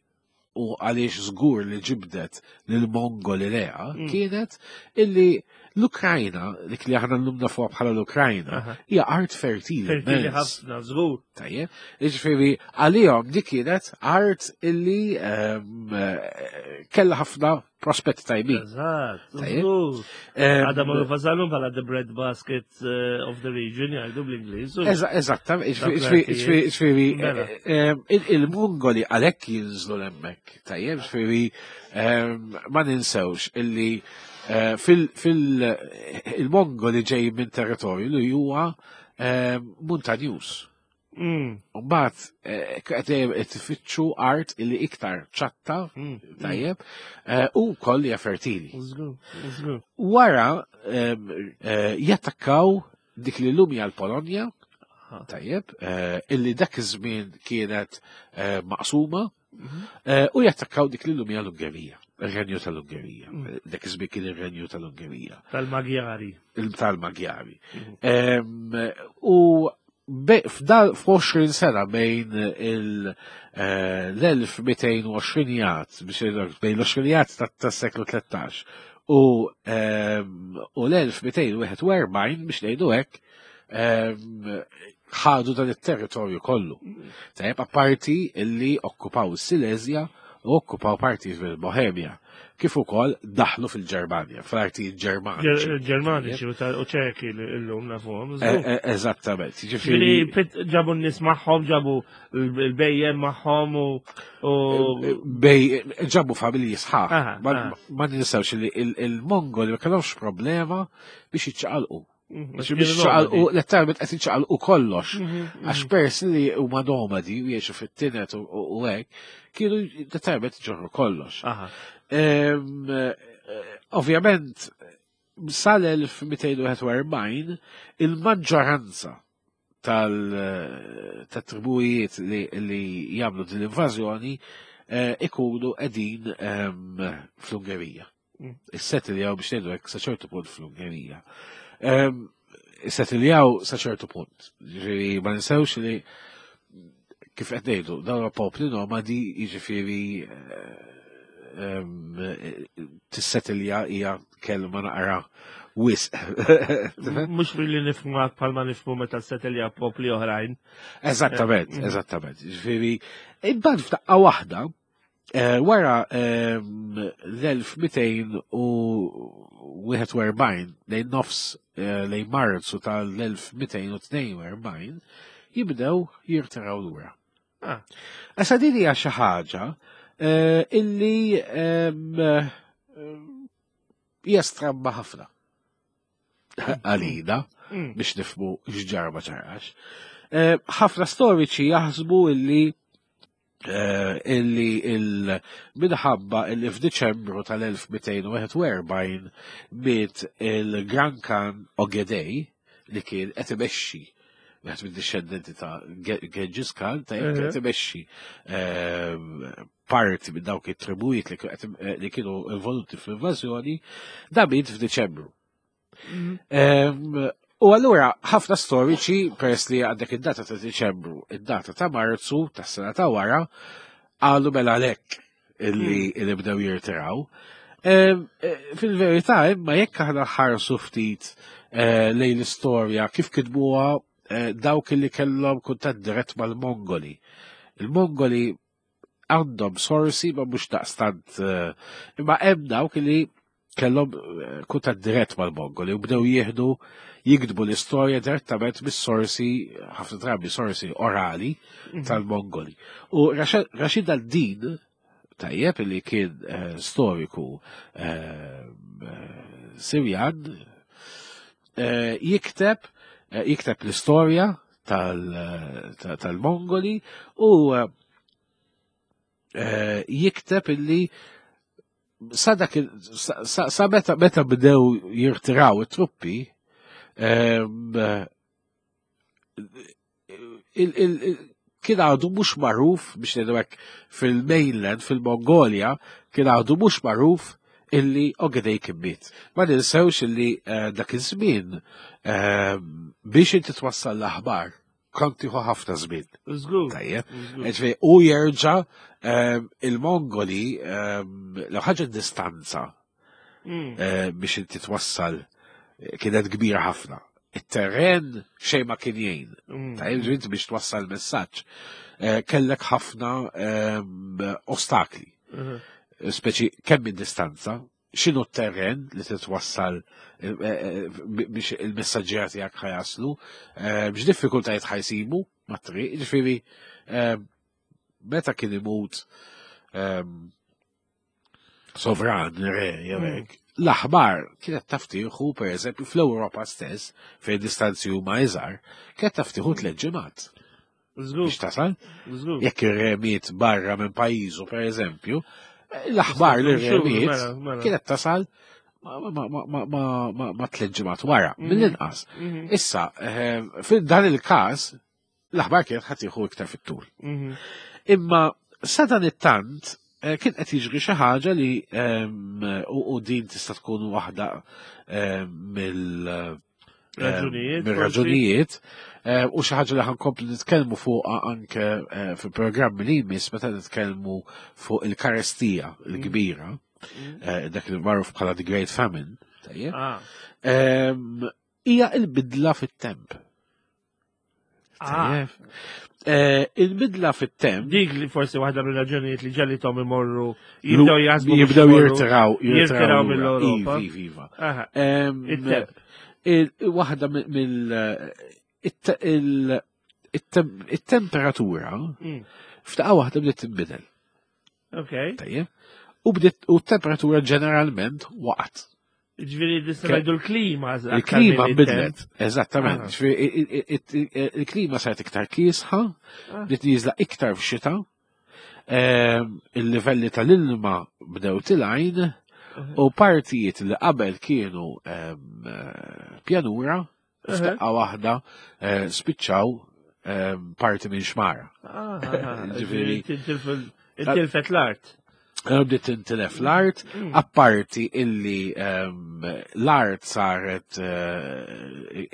u għaliex żgur li ġibdet lill-Mongoli leha kienet illi l-Ukrajna, dik li aħna llum nafuha bħala l-Ukrajna, hija art fertili. Fertili ħafna, żgur. Tajjeb, jiġifieri għalihom dik kienet art illi kellha ħafna prospetti tajbin. Eżatt, żgur. Għadha magħrufa sal-lum bħala the bread basket of the region jgħidu bl-Ingliż. Eżattament, jiġifieri il-Mongoli għalhekk jinżlu l-hemmhekk. Tajjeb, jiġifieri ma ninsewx illi fil-Mongoli ġej minn territorju li huwa montanjuż. Mbagħad qed tfittxu art illi iktar ċatta, tajjeb, u wkoll hija fertili. Wara jattakkaw dik li llum hija l-Polonja, tajjeb, illi dak iż-żmien kienet maqsuma, u jattakkaw dik li llum hija l-Ungerija, ir-Renju tal-Ungerija. Dak iż-żmien kien ir-Renju tal-Ungerija. Tal-Magyari. Tal-Magyari. U F'20 sena bejn l-1220 jat, biex bejn l-20 jat tas-seklu 13 u l-1241 biex ngħidu hekk, ħadu dan it-territorju kollu. Tajjeb, apparti illi okkupaw is-Silesia u okkupaw partijiet mill-Bohemia, kif ukoll daħlu fil-Ġermanja, fl-artijiet Ġermaniċi. Ġermaniċi u ċeki llum nafuhom. Eżattament. Ġifieri ġabu n-nies magħhom, ġabu l-bejjem magħhom u bej ġabu familji sħaħ. Ma ninsewx li il-Mongoli ma kellhomx problema biex jiċċaqalqu. Biex jiċċaqalqu, letteralment qed jiċċaqalqu kollox. Għax pers li huma nomadi u jgħixu fit-tinet u hekk, kienu letteralment ġorru kollox. Ovvjament, sal-1241 il-maġġoranza tal-tribujiet li jagħmlu din l-invażjoni ikunu qegħdin fl-Ungerija. Issettiljaw biex ngħidu hekk sa ċertu punt fl-Ungerija. Issettiljaw sa ċertu punt. Ġifieri ma ninsewx li kif qed ngħidu dawn popli nomadi, jiġifieri tissettilja hija kelma naqra wisq. Mhux billi nifhmu bħalma nifhmu meta settilja popli oħrajn. Eżattament, eżattament. Ġifieri, imbagħad f'daqqa waħda, wara l-1241 lejn nofs lejn Marzu tal-1242 jibdew jirtiraw lura. Issa din hija xi ħaġa illi hija stramba ħafna għalina biex nifhmu x'ġara ma ġarax. Ħafna storiċi jaħsbu illi minħabba illi f'Diċembru tal-1241 miet il-Gran Khan Ogedei li kien qed imexxi wieħed mid-dixxendenti ta' Genghis Khan, ta' qed imexxi parti minn dawk it-tribujiet li kienu involuti fl-invażjoni, da miet f'Diċembru. U allura ħafna storiċi, peress li għandek id-data ta' Diċembru, id-data ta' Marzu tas-sena ta' wara, qalu mela għalhekk illi bdew jirtiraw. Fil-verità, imma jekk aħna ħarsu ftit lejn l-istorja kif kitbuha dawk li kellhom kuntatt dirett mal-Mongoli. Il-Mongoli għandhom sorsi ma mhux daqstant, imma hemm dawk li kellhom kuntatt dirett mal-Mongoli u bdew jieħdu jiktbu l-istorja direttament mis-sorsi, ħafna drabi sorsi orali tal-Mongoli. U Rashid al-Din, tajjeb, li kien storiku Sirjan, jikteb l-istorja tal-Mongoli u jikteb illi sa dak sa, sa meta, meta bdew jirtiraw it-truppi, kien għadu mhux magħruf, biex ngħidu hekk, fil-mainland, fil-Mongolja, kien għadu mhux magħruf illi Ogedei kien miet. Ma ninsewx illi dak iż-żmien biex inti twassal l-aħbar kont tieħu ħafna żmien. Tajjeb. Ġifieri, u jerġa' il-Mongoli l ħaġa distanza biex inti twassal kienet kbira ħafna. Il-terren xejn ma kien jgħin. Tajjeb, ġifieri biex twassal messaġġ kellek ħafna ostakli. Speċi kemm id-distanza, x'inhu t-terren li titwassal biex il-messaġġiera tiegħek ħa jaslu, biex diffikultajiet ħa jsibu mat-triq, ġifieri meta kien imut sovran, re, jew hekk, l-aħbar kienet taf tieħu, per eżempju, fl-Ewropa stess, fejn distanzi huma iżgħar, kienet taf tieħu 3 ġimgħat. Biex tasal? Jekk ir-re miet barra minn pajjiżu, per eżempju, l-aħbar li r-re miet kienet tasal ma 3 ġimgħat wara, mill-inqas. Issa, fil-dan il-każ, l-aħbar kienet ħadd jieħu iktar fit-tul. Imma sa dan it-tant kien qed jiġri xi ħaġa li u din tista' tkun waħda mill Raġunijiet. Mir-raġunijiet. U xi ħaġa li ħankomplu nitkellmu fuqha anke fil-programmi li jmiss meta nitkellmu fuq il-karestija l-kbira, dak li magħruf bħala The Great Famine, tajjeb. Hija l-bidla fit-temp. Il-bidla fit-temp. Dik li forsi waħda mill-raġunijiet li ġalithom imorru jibdew jaħsbu jibdew jirtiraw jirtiraw mill-Ewropa. Iva, iva. Il-temp. Waħda mill il-temperatura f'daqqa waħda bdiet tinbidel. Ok. Tajjeb. U bdiet u t-temperatura ġeneralment waqgħet. Ġifieri nistgħu ngħidu l-klima. Il-klima bidlet, eżattament. Ġifieri il-klima saret iktar kiesħa, bdiet nieżla iktar f'xita, il-livelli tal-ilma bdew tilgħin u partijiet li qabel kienu pjanura, f'daqqa waħda spiċċaw parti minn xmara. Ġifieri intilfet l-art. Bdiet tintilef l-art, apparti illi l-art saret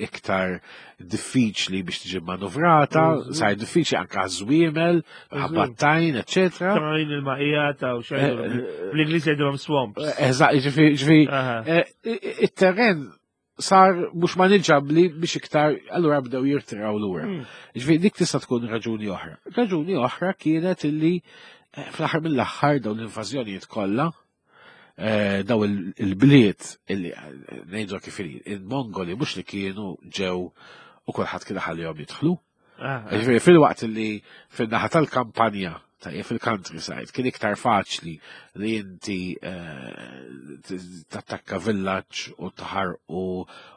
iktar diffiċli biex tiġi manuvrata, saret diffiċli anke għaż-żwiemel, ħabba tajn, eccetera. Tajn il-maqija ta' u xejn. Bl-Ingliż jgħidulhom swamps. Eżatt, ġifieri, it-terren sar mhux maniġabbli biex iktar, allura bdew jirtiraw lura. Ġifieri dik tista' tkun raġuni oħra. Raġuni oħra kienet illi fl-aħħar mill-aħħar dawn l-invażjonijiet kollha, daw il-bliet illi ngħidu kif il-Mongoli mhux li kienu ġew u kulħadd kien ħallihom jidħlu. Ġifieri fil-waqt li fin-naħa tal-kampanja tajjeb fil-countryside kien iktar faċli li inti tattakka villaġġ u taħarqu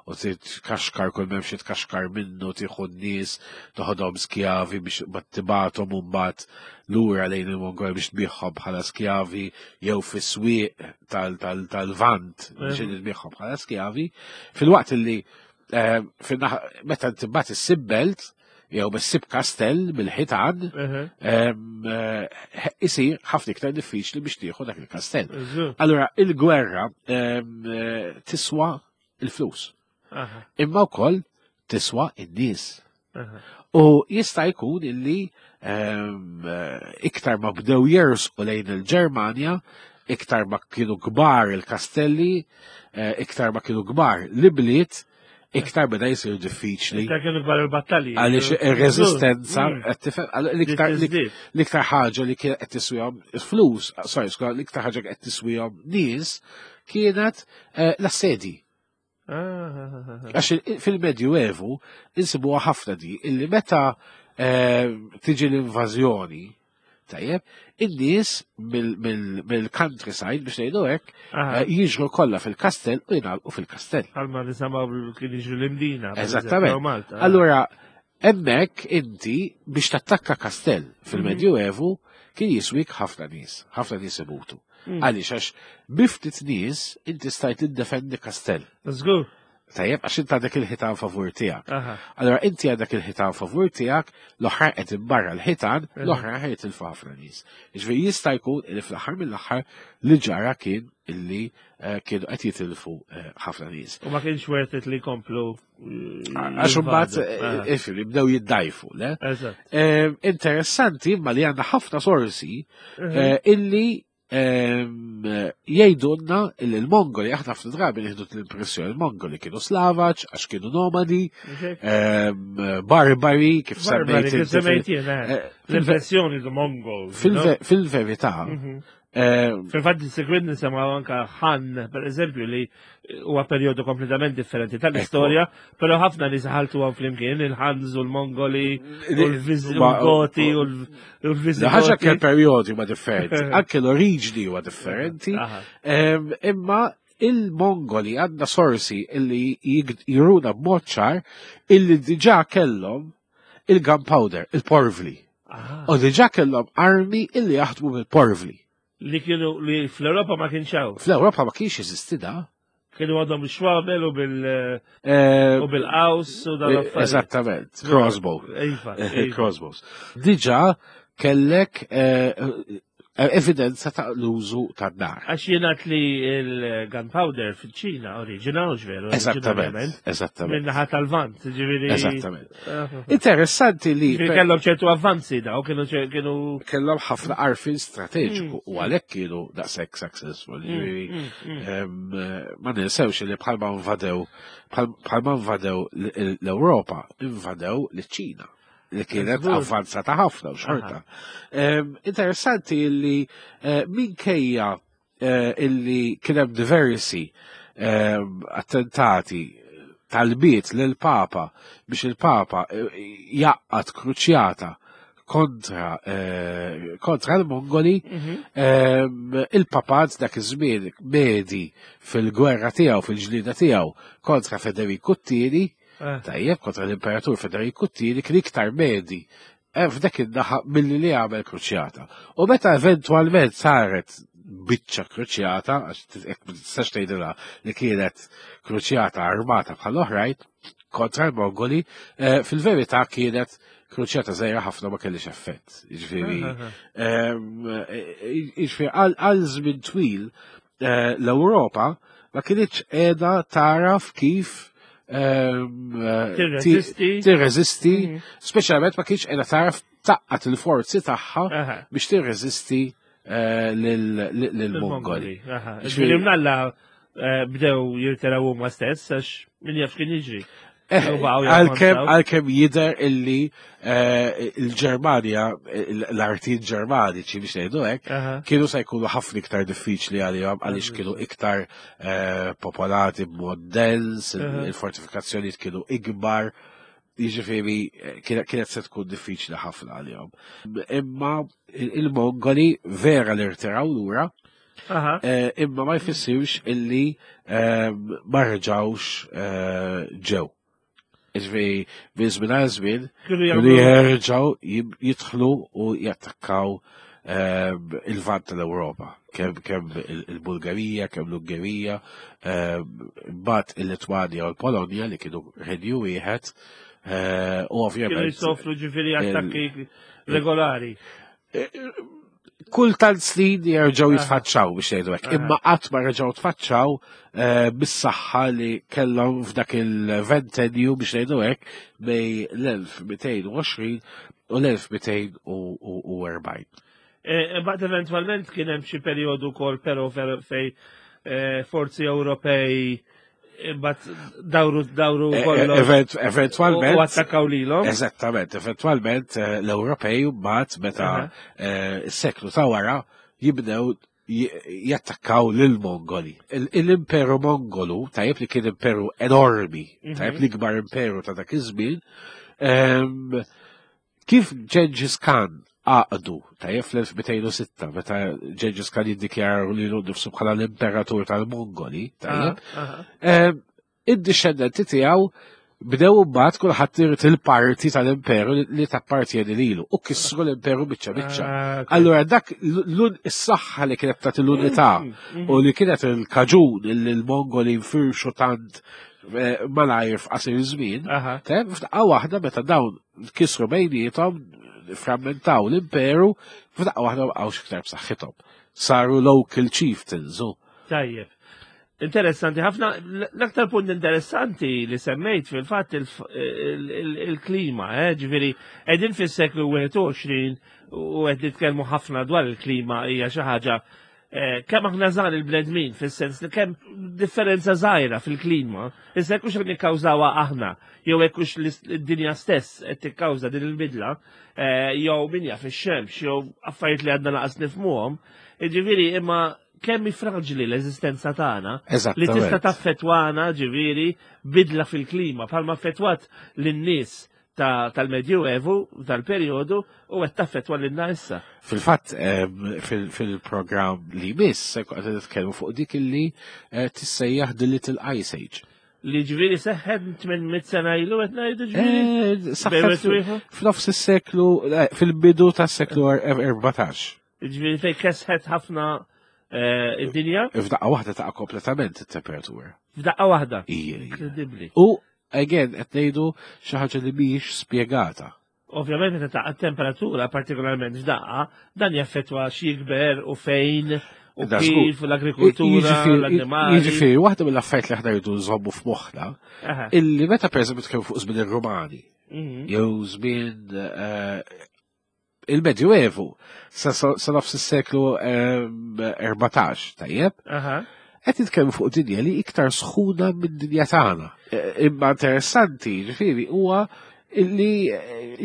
u tkaxkar kull m'hemm xi tkaxkar minnu, tieħu n-nies, toħodhom skjavi biex tibgħathom u mbagħad lura lejn il-Mongol biex tbigħhom bħala skjavi jew fis-swieq tal-Lvant biex tbigħhom bħala skjavi. Fil-waqt li meta tibgħat issib belt jew issib kastell bil-ħitan, isir ħafna iktar diffiċli biex tieħu dak il-kastell. Allura il-gwerra tiswa il-flus. Imma wkoll tiswa in-nies. U jista' jkun illi iktar ma bdew jersqu lejn il-Ġermanja, iktar ma kienu kbar il-kastelli, iktar ma kienu kbar l-ibliet, iktar beda jisir diffiċli. Iktar kienu kbar il-battalji. Għaliex ir-reżistenza qed tifhem, l-iktar ħaġa li kienet qed tiswihom flus, sorry, skuża, l-iktar ħaġa qed tiswihom nies kienet l-assedi. Għax fil-Medju Evu insibuha ħafna di illi meta tiġi l-invażjoni, tajjeb, in-nies mill-countryside biex ngħidu hekk, jiġru kollha fil-kastell u jingħalqu fil-kastell. Bħalma nisimgħu kien jiġru l-Imdina, per Eżattament. eżempju, Malta. Allura, hemmhekk inti biex tattakka kastell fil-Medju Evu kien jiswik ħafna nies, ħafna nies imutu. Għaliex għax bi ftit nies inti stajt tiddefendi kastell. Żgur. Tajjeb, għax inti għandek il-ħitan favur tiegħek. Allora inti għandek il-ħitan favur tiegħek, l-oħra qed barra l-ħitan, l-oħra qed jitilfu ħafna nies. Jiġifieri jista' jkun li fl-aħħar mill-aħħar li ġara kien illi kienu qed jitilfu ħafna nies. U ma kienx worth it li jkomplu Għax imbagħad, jinvadu. Ifri, bdew jiddajfu, le? Interessanti imma li għandna ħafna sorsi illi jgħidulna illi l-Mongoli, aħna ħafna drabi nieħdu l-impressjoni l-Mongoli kienu slavaġ, għax kienu nomadi, barbari, kif Barbari, semmejt kif inti semmejt jien, L-impressjoni the Mongols, you know? Fil-verità, Fil-fatt sekwit nisimgħu anka Han, per eżempju, li huwa perjodu kompletament differenti tal-istorja, però ħafna li saħaltu għan flimkien, il-Hans u l-Mongoli, u l-Goti, u l-Visigoti. Ħaġa kell perjodi huma differenti, anke l-oriġni huwa differenti, imma il-Mongoli għandna sorsi illi juruna b'mod ċar illi diġà kellhom il-gunpowder, il-porvli. U diġà kellhom armi illi jaħdmu bil-porvli. Li kienu li fl-Europa ma kienx hawn. Fl-Europa ma kienx jeżisti da. Kienu għadhom bil-xwabel u bil-qaws u dan l-affarijiet. Eżattament, crossbow. Iva, iva. Crossbows. Diġà kellek Evidenza ta' l-użu tan-nar. Għax jingħad li l-gunpowder fiċ-Ċina oriġina u veru. Eżattament, eżattament. Min-naħa tal-Lvant, ġifieri. Eżattament. Interessanti li. Kellhom ċertu avvanzi daw, kienu kienu. Kellhom ħafna għarfien strateġiku u għalhekk kienu daqshekk successful. Ġifieri, ma ninsewx li bħalma invadew bħalma invadew l-Ewropa, invadew l-Ċina li kienet avvanzata ħafna u xorta. Interessanti li minkejja illi kien hemm diversi attentati talbiet lil Papa biex il-Papa jgħaqqad kruċjata kontra l-Mongoli, il-Papat dak iż-żmien medhi fil-gwerra tiegħu, fil-ġlida tiegħu kontra Federiku II, tajjeb, kontra l-Imperatur Federiku II, kien iktar medhi f'dak in-naħa milli li għamel kruċjata. U meta eventwalment saret biċċa kruċjata, għax ma tistax tgħidilha li kienet kruċjata armata bħal oħrajn kontra l-Mongoli, fil-verità kienet kruċjata żgħira ħafna, ma kellix effett. Jiġifieri, jiġifieri għal żmien twil l-Ewropa ma kinitx qiegħda taraf kif Tirreżisti. Tirreżisti, speċjalment ma kienx qiegħda taraf tgħaqqad il-forzi tagħha biex tirreżisti lill-Mongoli. Ġifieri mnalla bdew jirtiraw huma stess, għax min jaf kien jiġri. Għalkemm jidher illi il-Ġermanja, l-artijiet Ġermaniċi biex ngħidu hekk, kienu se jkunu ħafna iktar diffiċli għalihom għaliex kienu iktar popolati b'mod dens, il-fortifikazzjonijiet kienu ikbar, jiġifieri kienet se tkun diffiċli ħafna għalihom. Imma il-Mongoli vera li rtiraw lura, imma ma jfissirx illi ma reġawx ġew. Ġifieri, minn żmien għal żmien, kienu jerġgħu jidħlu u jattakkaw il-Lvant tal-Ewropa, kemm il-Bulgarija, kemm l-Ungerija, mbagħad il-Litwanja u l-Polonja li kienu renju wieħed, u ovvjament. Kienu jsofru ġifieri attakki regolari. Kull tant snin jerġgħu jitfaċċaw biex ngħidu hekk, imma qatt ma reġgħu tfaċċaw bis-saħħa li kellhom f'dak il-ventenju biex ngħidu hekk bejn l-1220 u l-1240. Bad eventwalment kien hemm xi perjodu wkoll però fej forzi Ewropej bat dawru dawru kollox. Eventualment. U attakkaw lilhom. Eżattament, eventualment l-Ewropej mbagħad meta s-seklu ta' wara jibdew jattakkaw lil-Mongoli. L-Imperu Mongolu, tajjeb, li kien imperu enormi, tajjeb, l-ikbar imperu ta' dak iż-żmien, kif Gengis Khan għaqdu, tajjeb, fl-1206, meta Gengis Khan jiddikjara lilu nnifsu bħala l-imperatur tal-Mongoli, tajjeb, id-discendenti tiegħu bdew mbagħad kulħadd irid il-parti tal-imperu li tappartjeni lilu u kissru l-imperu biċċa biċċa. Allura dak is-saħħa li kienet tagħti l-unità u li kienet il-kaġun li l-Mongoli nfirxu tant malajr f'qasir żmien, f'daqqa waħda meta dawn kisru bejniethom, frammentaw l-imperu, f'daqqa waħda ma baqgħux iktar b'saħħithom. Saru local chieftains. Tajjeb. Interessanti ħafna, l-aktar punt interessanti li semmejt fil-fatt il-klima, ġifieri, qegħdin fis-seklu 21 u qed nitkellmu ħafna dwar il-klima, hija xi ħaġa kemm aħna żgħar il-bnedmin, fis-sens li kemm differenza żgħira fil-klima, issa jekk hux qed nikkawżawha aħna, jew jekk hux id-dinja stess qed tikkawża din il-bidla, jew min jaf ix-xemx, jew affarijiet li għadna laqas nifhmuhom, ġifieri imma kemm hi fraġli l-eżistenza tagħna li tista' taffettwana ġifieri bidla fil-klima bħalma affettwat lin-nies tal-Medjuevu tal-perjodu u qed taffettwa lilna issa. Fil-fatt fil-programm li miss se qed nitkellmu fuq dik illi tissejjaħ The Little Ice Age. Li ġifieri seħħet 800 sena ilu qed ngħidu ġifieri? Saħħet f'nofs is-seklu, fil-bidu tas-seklu 14. Ġifieri fejn kesħet ħafna id-dinja? F'daqqa waħda taqa' kompletament it-temperatura. F'daqqa waħda? Ija. Inkredibbli. U again qed ngħidu xi ħaġa li mhijiex spjegata. Ovvjament meta taqa' temperatura partikolarment f'daqqa, dan jaffettwa x'jikber u fejn u kif l-agrikultura, l-annimali. Jiġifieri waħda mill-affarijiet li aħna rridu nżommu f'moħħna, illi meta pereżempju tkellmu fuq żmien ir-Rumani, mhm. jew żmien eh, il-Medjuevu sa nofs is-seklu 14, tajjeb? Qed nitkellmu fuq dinja li iktar sħuna minn dinja tagħna. E, imma interessanti, ġifieri, huwa li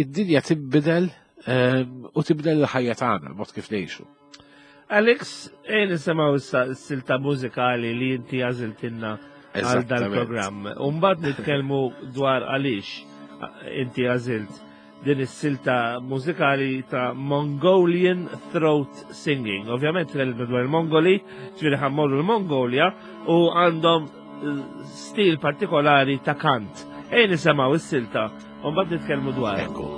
id-dinja tinbidel u tibdel il-ħajja tagħna, mod kif ngħixu. Alex, ejn nisimgħu issa s-silta mużikali li inti għażiltilna għal dal-programm. Umbagħad nitkellmu dwar għaliex inti għażilt din is-silta mużikali ta' Mongolian Throat Singing. Ovvjament tkellimna dwar il-Mongoli, ġifieri ħammorru l-Mongolia u għandhom eh, stil partikolari ta' kant. Ejn nisimgħu is-silta u mbagħad nitkellmu dwar. Ekku.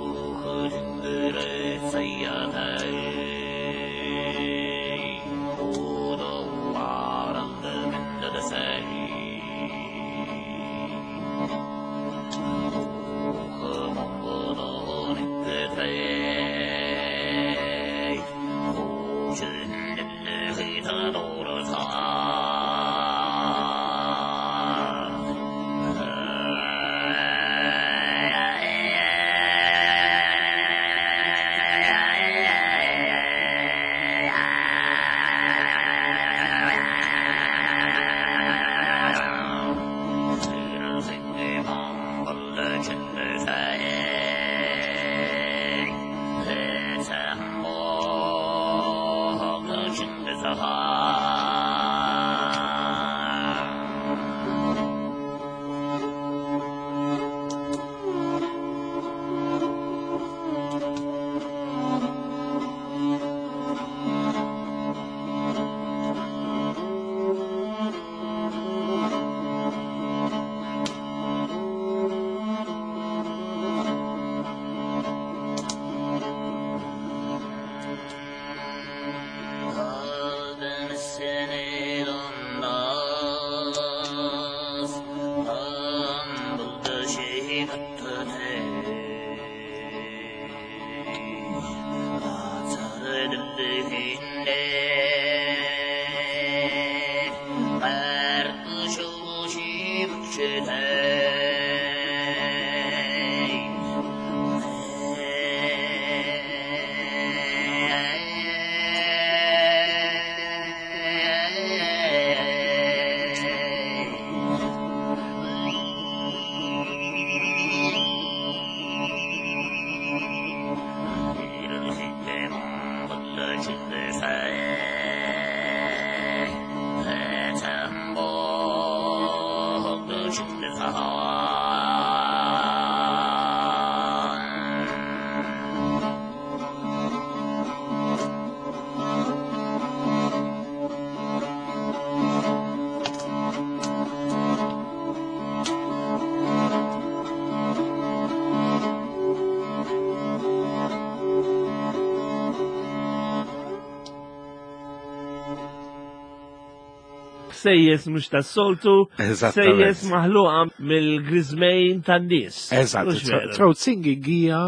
Sejjes mhux tas-soltu, sejjes maħluqa mill-griżmejn tan-nies. Eżatt, throat singing hija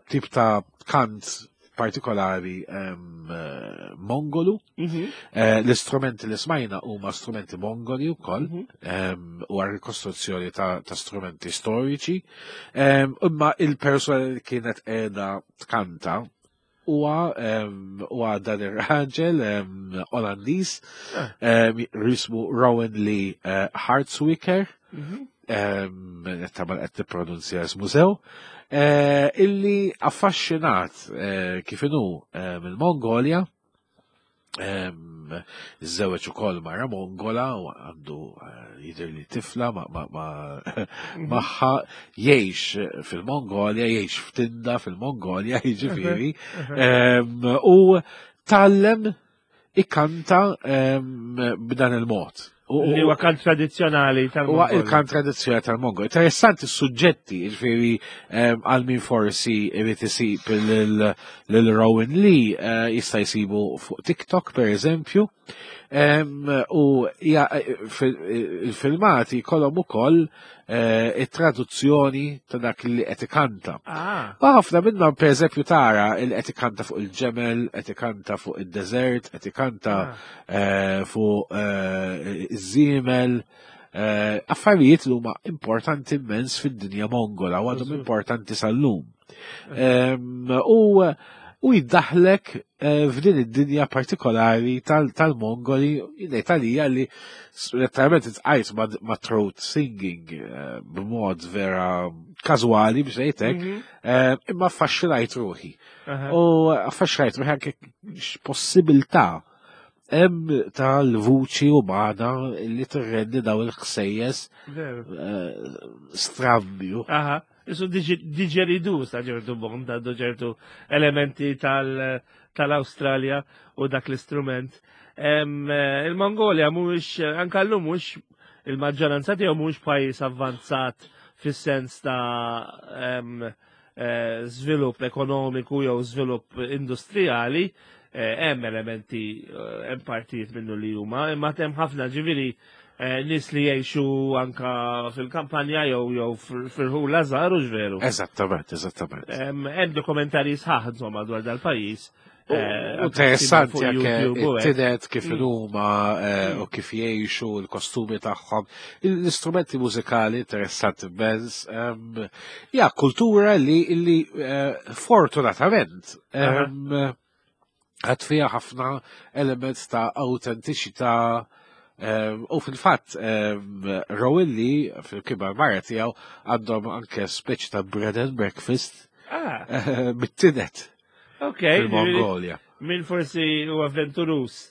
tip ta' kant partikolari Mongolu. Mhm. Eh, l-istrumenti li smajna huma strumenti Mongoli wkoll mhm. u għal rikostruzzjoni ta' strumenti storiċi. Imma il-persuna li kienet qiegħda tkanta huwa huwa dan ir-raġel Olandiż ah. jismu Rowan Lee eh, Hartswicker. Mhm. Tamal qed tippronunzja ismu sew. Eh, illi affaxxinat eh, kif inhu mill-Mongolja Żewġ ukoll mara Mongola u għandu eh, jidher li tifla mhm. magħha jgħix fil-Mongolja, jgħix f'tinda fil-Mongolja, jiġifieri. U tallem ikanta b'dan il-mod. Li huwa kant tradizzjonali tal-Mongol. Huwa il-kant tradizzjonali tal-Mongol. Interessanti s-suġġetti, jiġifieri għal min forsi irid isib lil Rowan Lee eh, jista' jsibu fuq TikTok per eżempju. U il-filmati kolom ukoll eh, it-traduzzjoni ta' dak li qed ikanta. Ah. Ma ħafna minnhom pereżempju tara il qed ikanta fuq il-ġemel, qed ikanta fuq id-deżert, qed ikanta ah. eh, fuq eh, iż-żiemel. Affarijiet li huma importanti immens fid-dinja Mongola u għadhom importanti sal-lum. U u jiddaħlek eh, f'din id-dinja partikolari tal-Mongoli, l-Italija li letteralment itqajt ma' throat singing eh, b'mod vera każwali biex ngħidlek, mhm. eh, imma affaxxinajt ruħi. U affaxxinajt ruħi anke x'possibilità hemm tal-vuċi umana li tirrendi daw il-ħsejjes strambju. Aha, isu diġeridu sa ċertu bond, għandu ċertu elementi tal-Australja u dak l-istrument. Eh, Il-Mongolia mhuwiex anka llum mhuwiex il-maġġoranza tiegħu mhuwiex pajjiż avvanzat fis-sens ta' eh, żvilupp ekonomiku jew żvilupp industrijali, eh, hemm elementi, eh, hemm partijiet minnu li huma, imma hemm ħafna ġifieri nies li jgħixu anka fil-kampanja jew jew fil-ħula żgħar u ġveru. Eżattament, eżattament. Hemm dokumentarji sħaħ insomma dwar dal-pajjiż. Eh, interessanti anke it-tinet kif mm. huma eh, mm. u kif jgħixu l-kostumi tagħhom, l-istrumenti mużikali interessanti immens. Ja, kultura li li eh, fortunatament għad fiha ħafna element ta' autentiċità u fil-fatt Rowilli fil-kibar mara tiegħu għandhom anke speċi ta' bread and breakfast ah. bit-tinet. Ok. Fil-Mongolia. Min forsi u avventurus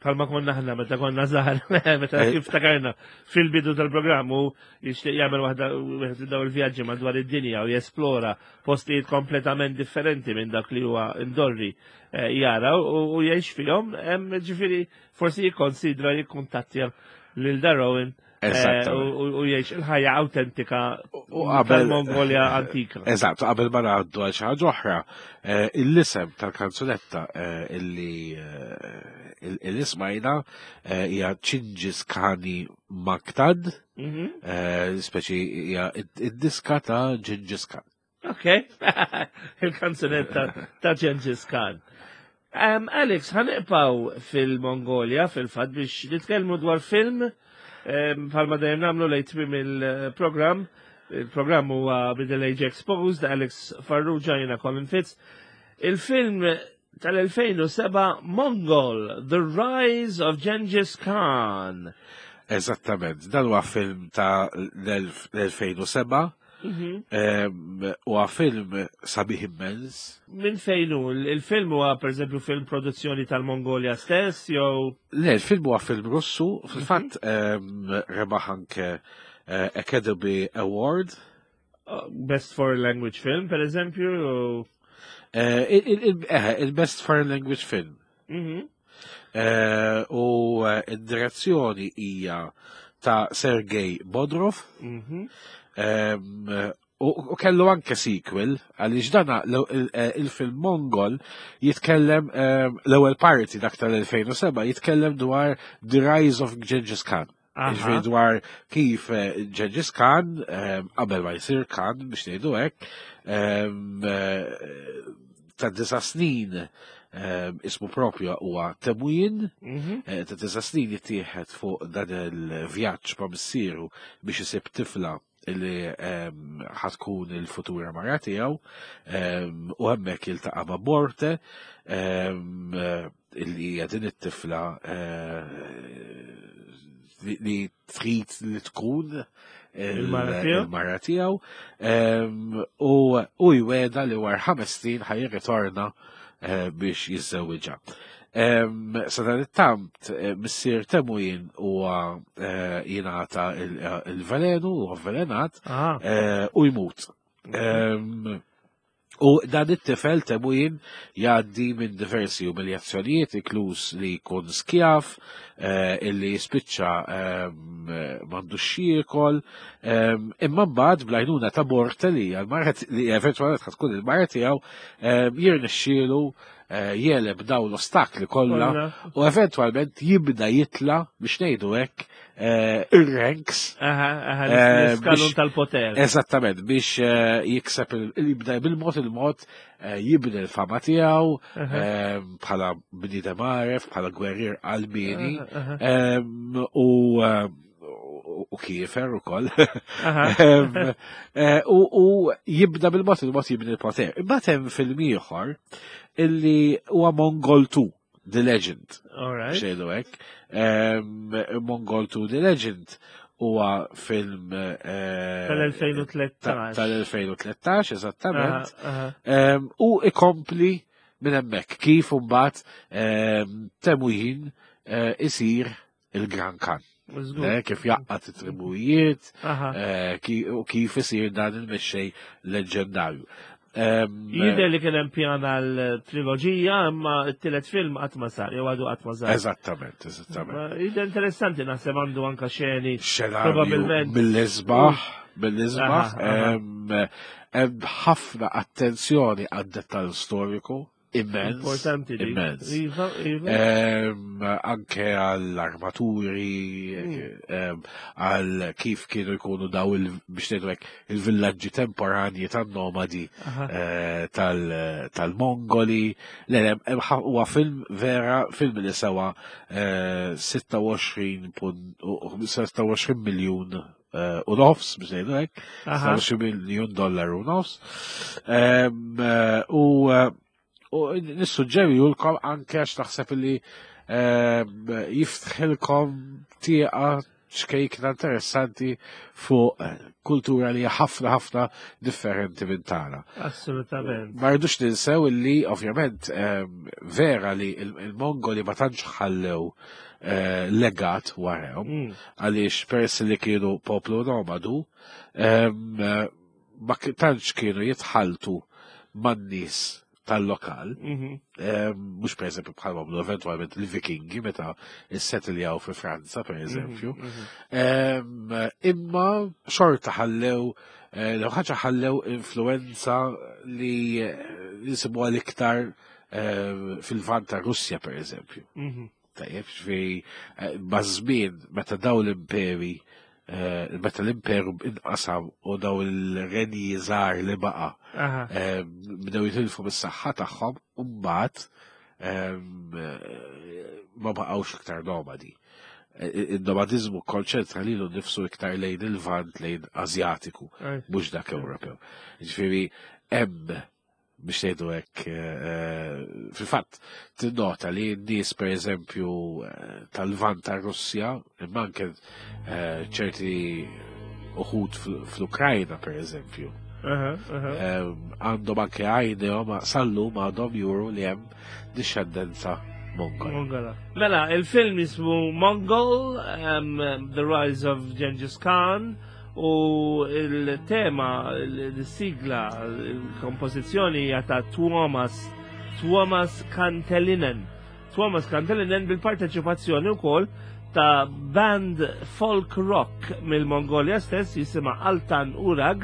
bħalma konna ħna meta konna żgħar, meta eh. kif takarna fil-bidu tal-programm u jixtieq jagħmel waħda wieħed daw il-vjaġġi madwar id-dinja u jesplora postijiet kompletament differenti minn dak li huwa imdorri eh, jara u jgħix fihom, hemm ġifieri forsi jikkonsidra jikkuntattja lil Darwin Eh, u jgħix il-ħajja autentika tal-Mongolja antika. Eżatt, qabel ma ngħaddu għal xi ħaġa oħra, eh, l-isem tal-kanzunetta eh, illi il-ismajna hija Ċinġis Kani Maktad, mhm. speċi hija id-diska ta' Ġinġis Khan. Ok, il-kanzunetta ta' Gengis Khan. Um, Alex, ħaniqpaw fil-Mongolia fil-fat biex nitkellmu dwar film bħalma dejjem nagħmlu lejn tmiem il-programm. Il-programm huwa Middle Age Exposed, Alex Farrugia jiena Colin Fitz. Il-film tal-2007 Mongol, The Rise of Genghis Khan. Eżattament, dan huwa film ta' l-2007 mhm. Huwa film sabiħ immens. Minn fejn hu? Il-film huwa pereżempju film produzzjoni tal-Mongolja stess jew? Le, il-film huwa film Russu, fil-fatt mhm. rebaħ anke eh, Academy Award. Oh, Best Foreign Language Film, per eżempju? Eh, eh, il-Best Foreign Language Film. Mhm. Eh, u id-direzzjoni hija ta' Sergej Bodrov. Mhm. U kellu anke sequel, għaliex dana il-film Mongol jitkellem l-ewwel parti dak tal-2007 jitkellem dwar The Rise of Genghis Khan. Ġifieri dwar kif eh, Gengis Khan, eh, qabel ma jsir Khan biex ngħidu hekk, eh, ta' disa snin ismu propju huwa Temujin, mhm. ta' disa snin jittieħed fuq dan il-vjaġġ ma' missieru biex isib tifla li ħatkun il-futura mara tiegħu u hemmhekk jiltaqa' ma' Borte illi hija din it-tifla eh, li trid li tkun il-mara tiegħu u jweda li war ħames snin ħaj jirritorna eh, biex jiżżewwiġha. Sa dan it-tant eh, missier Temujin huwa jingħata il-velenu, u avvelenat u jmut. Mhm. U dan it-tifel Temujin jgħaddi minn diversi umiljazzjonijiet, inkluż li jkun skjav, eh, illi jispiċċa ehm, m'għandux jiekol, ehm, imma mbagħad blajnuna ta' Borte li l-mara li eventwalment tkun il-mara tiegħu ehm, jirnexxielu jegħleb dawn l-ostakli kollha u eventwalment jibda jitla biex ngħidu hekk ir-ranks. L-iskalun tal-poter. Eżattament, biex jikseb jibda bil-mod il-mod jibni l-fama tiegħu bħala bniedem għaref, bħala gwerrier qalbieni u u kiefer u koll. U jibda bil-mod il-mod jibni l-poter. Imbagħad hemm film ieħor illi huwa Mongol 2, The Legend. Xejdu hekk. Mongol 2 The Legend huwa film tal-2013. Tal-2013, eżattament. U ikompli minn hemmhekk kif imbagħad Temujin isir il-Gran Khan. Kif jaqqat it-tribujiet u kif isir dan il-mexxej leġġendarju. Jidher li kien hemm pjan għal triloġija, imma t-tielet film qatt ma sar, jew għadu qatt ma sar. Eżattament, eżattament. Jidher interessanti naħseb għandu anka xeni. Xenarju probabbilment mill-isbaħ, mill-isbaħ, hemm ħafna attenzjoni għad-dettall storiku. Immens. Importanti li. Immens. Iva, iva. Anke għall-armaturi, għal kif kienu jkunu daw il, biex ngħidu hekk, il-villaġġi temporanji tan-nomadi tal-Mongoli. Le, le, huwa film vera, film li sewa 26 miljun u nofs, biex ngħidu hekk, 26 miljun dollaru u nofs. U nissuġġerjulkom anke għax naħseb li jiftħilkom tieqa ċkejkna interessanti fuq kultura li ħafna ħafna differenti minn tagħna. Assolutament. Ma rridux ninsew illi ovvjament vera li il-Mongoli ma tantx ħallew legat warahom, għaliex peress li kienu poplu nomadu, ma tantx kienu jitħaltu man-nies tal-lokal, mhux per eżempju bħal għamlu eventwalment il-Vikingi meta issettiljaw fi Franza, per eżempju. Imma xorta ħallew, l ħaġa ħallew influenza li nsibuha l-iktar fil-vant ta' Russja, per eżempju. Tajjeb, ġifieri, maż-żmien meta daw l-imperi, meta l-imperu inqasam u daw il-renji żgħar li baqa' bdew jitilfu mis-saħħa tagħhom, u mbagħad ma baqgħux iktar nomadi. Il-nomadiżmu konċentra lilu nnifsu iktar lejn il-Lvant, lejn Asjatiku, mhux dak Ewropew. Ġifieri hemm biex tgħidu hekk, fil-fatt tinnota li n-nies pereżempju tal-Lvant tar-Russja, imma anke ċerti uħud fl-Ukrajna pereżempju, għandhom anke għajnejhom sal-lum għadhom juru li hemm dixxendenza Mongola. Mongola. Mela, il-film jismu Mongol, The Rise of Genghis Khan, u il-tema, il-sigla, il-kompożizzjoni hija ta' Tuomas Kantelinen. Tuomas Kantelinen bil-parteċipazzjoni wkoll ta' band folk rock mill-Mongolja stess jisimha Altan Urag,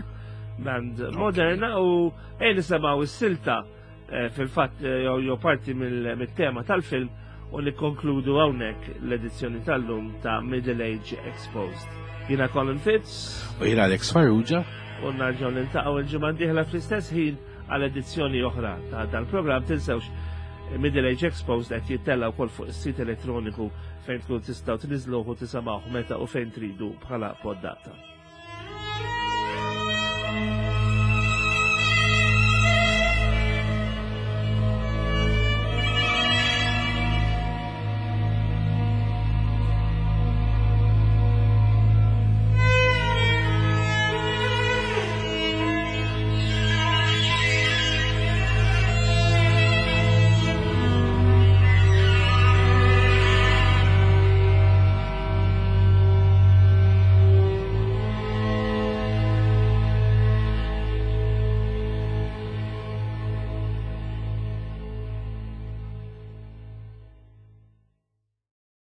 band moderna, u ejn nisimgħu s-silta fil-fatt jew parti mill-tema tal-film u nikkonkludu hawnhekk l-edizzjoni tal-lum ta' Middle Age Exposed. Jiena Colin Fitz. U jiena Alex Farrugia. U nerġgħu niltaqgħu l-ġimgħa d-dieħla fl-istess ħin għal edizzjoni oħra ta' dal-programm. Tinsewx Middle Age Exposed qed jittella wkoll fuq is-sit elettroniku fejn tkun tistgħu tniżluh u tisimgħuh meta u fejn tridu bħala poddata.